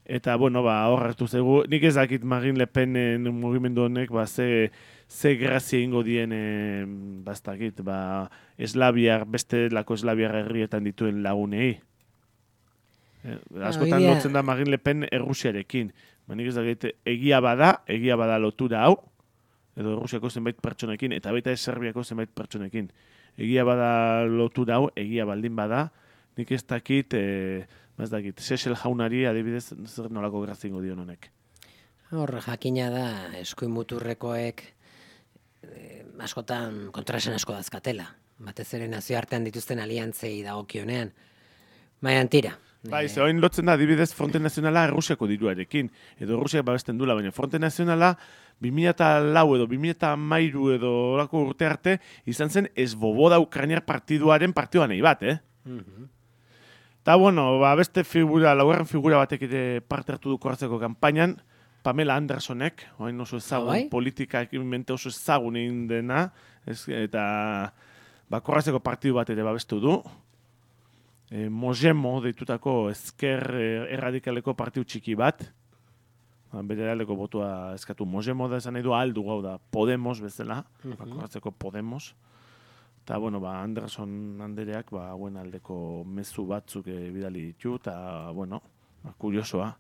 Speaker 5: Eta, bueno, ba, hor hartu zegu, nik ez dakit Marine Le Penen mugimendu honek, ba, ze, ze grazia ingo dien, e, ba, ez dakit, ba, eslabiar, beste lako eslabiar herrietan dituen lagunei. E, askotan
Speaker 1: yeah.
Speaker 5: lotzen da Marine Le Pen Errusiarekin. Ba, nik ez dakit, egia bada, egia bada lotura hau, edo Errusiako zenbait pertsonekin, eta baita ez Serbiako zenbait pertsonekin. Egia bada lotura hau, egia baldin bada, nik ez dakit, e, ez dakit, Sesel jaunari adibidez zer nolako grazingo dion honek.
Speaker 1: Hor, jakina da, eskuin muturrekoek eh, askotan kontrasen asko dazkatela. Batez ere nazioartean dituzten aliantzei dagokionean. Baina tira,
Speaker 5: Bai, ze oin lotzen da, adibidez, Fronte Nazionala Errusiako diruarekin, edo Errusiak babesten dula, baina Fronte Nazionala bi mila lau edo bi mila hamairu edo orako urte arte izan zen Svoboda Ukrainiar partiduaren partidua nahi bat, eh?
Speaker 1: Mhm.
Speaker 5: Ta bueno, ba, beste figura, laugarren figura batek ere parte hartu du korratzeko kanpainan, Pamela Andersonek, oain oso ezagun,
Speaker 1: Bai?
Speaker 5: politika ekimente oso ezagun egin dena, ez, eta ba, korratzeko partidu bat ere babestu du. E, Mojemo deitutako ezker erradikaleko partidu txiki bat, ba, bere aldeko botua eskatu Mojemo da esan nahi du aldu gau da Podemos bezala,
Speaker 1: Mhm.
Speaker 5: ba, korratzeko Podemos. Eta, bueno, ba, Anderson andereak, ba, hauen aldeko mezu batzuk e, bidali ditu, eta, bueno, ba, kuriosoa.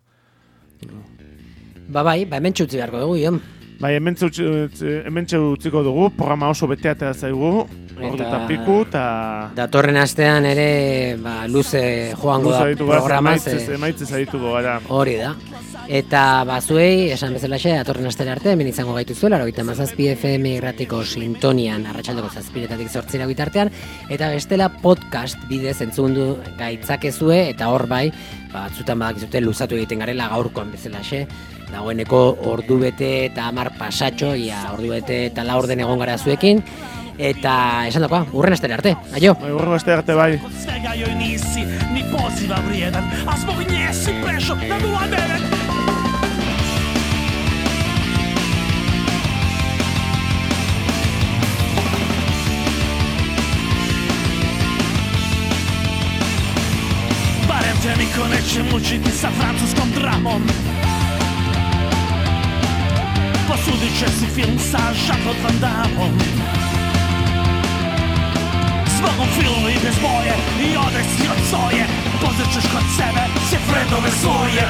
Speaker 1: Ba bai, ba hemen txutzi beharko dugu, Jon.
Speaker 5: Bai, hemen utziko dugu, programa oso beteatea zaigu, ordu eta piku, eta...
Speaker 1: Datorren astean ere ba, luze joango da programa.
Speaker 5: Emaitzez adituko gara.
Speaker 1: Hori da. Eta bazuei, esan bezalaxe, datorren astera arte, hemen izango gaituzuela, hogeita hamazazpi F M irratiko sintonian, arratsaldeko zazpiretatik zortzira bitartean, eta bestela podcast bidez entzundu gaitzakezue, eta hor bai, batzutan badakizute luzatu egiten garela gaurkoan bezalaxe, dagoeneko ordu bete eta hamar pasatxo, ia ordu bete eta laurden egon gara zuekin, eta esan dakoa, urren astera arte, aio!
Speaker 5: Bai, urren astera arte, bai!
Speaker 2: Svega joj nisi, ni poziva vrijedan, a zbog nje si prešao na nula devet. Barem te niko neće mučiti sa francuskom dramom. Posudit će si film sa Jean-Claude Van Damme-om. Zbogom filmu i bez boje i odeš si od soje. Pozrećeš kod sebe sve friendove svoje.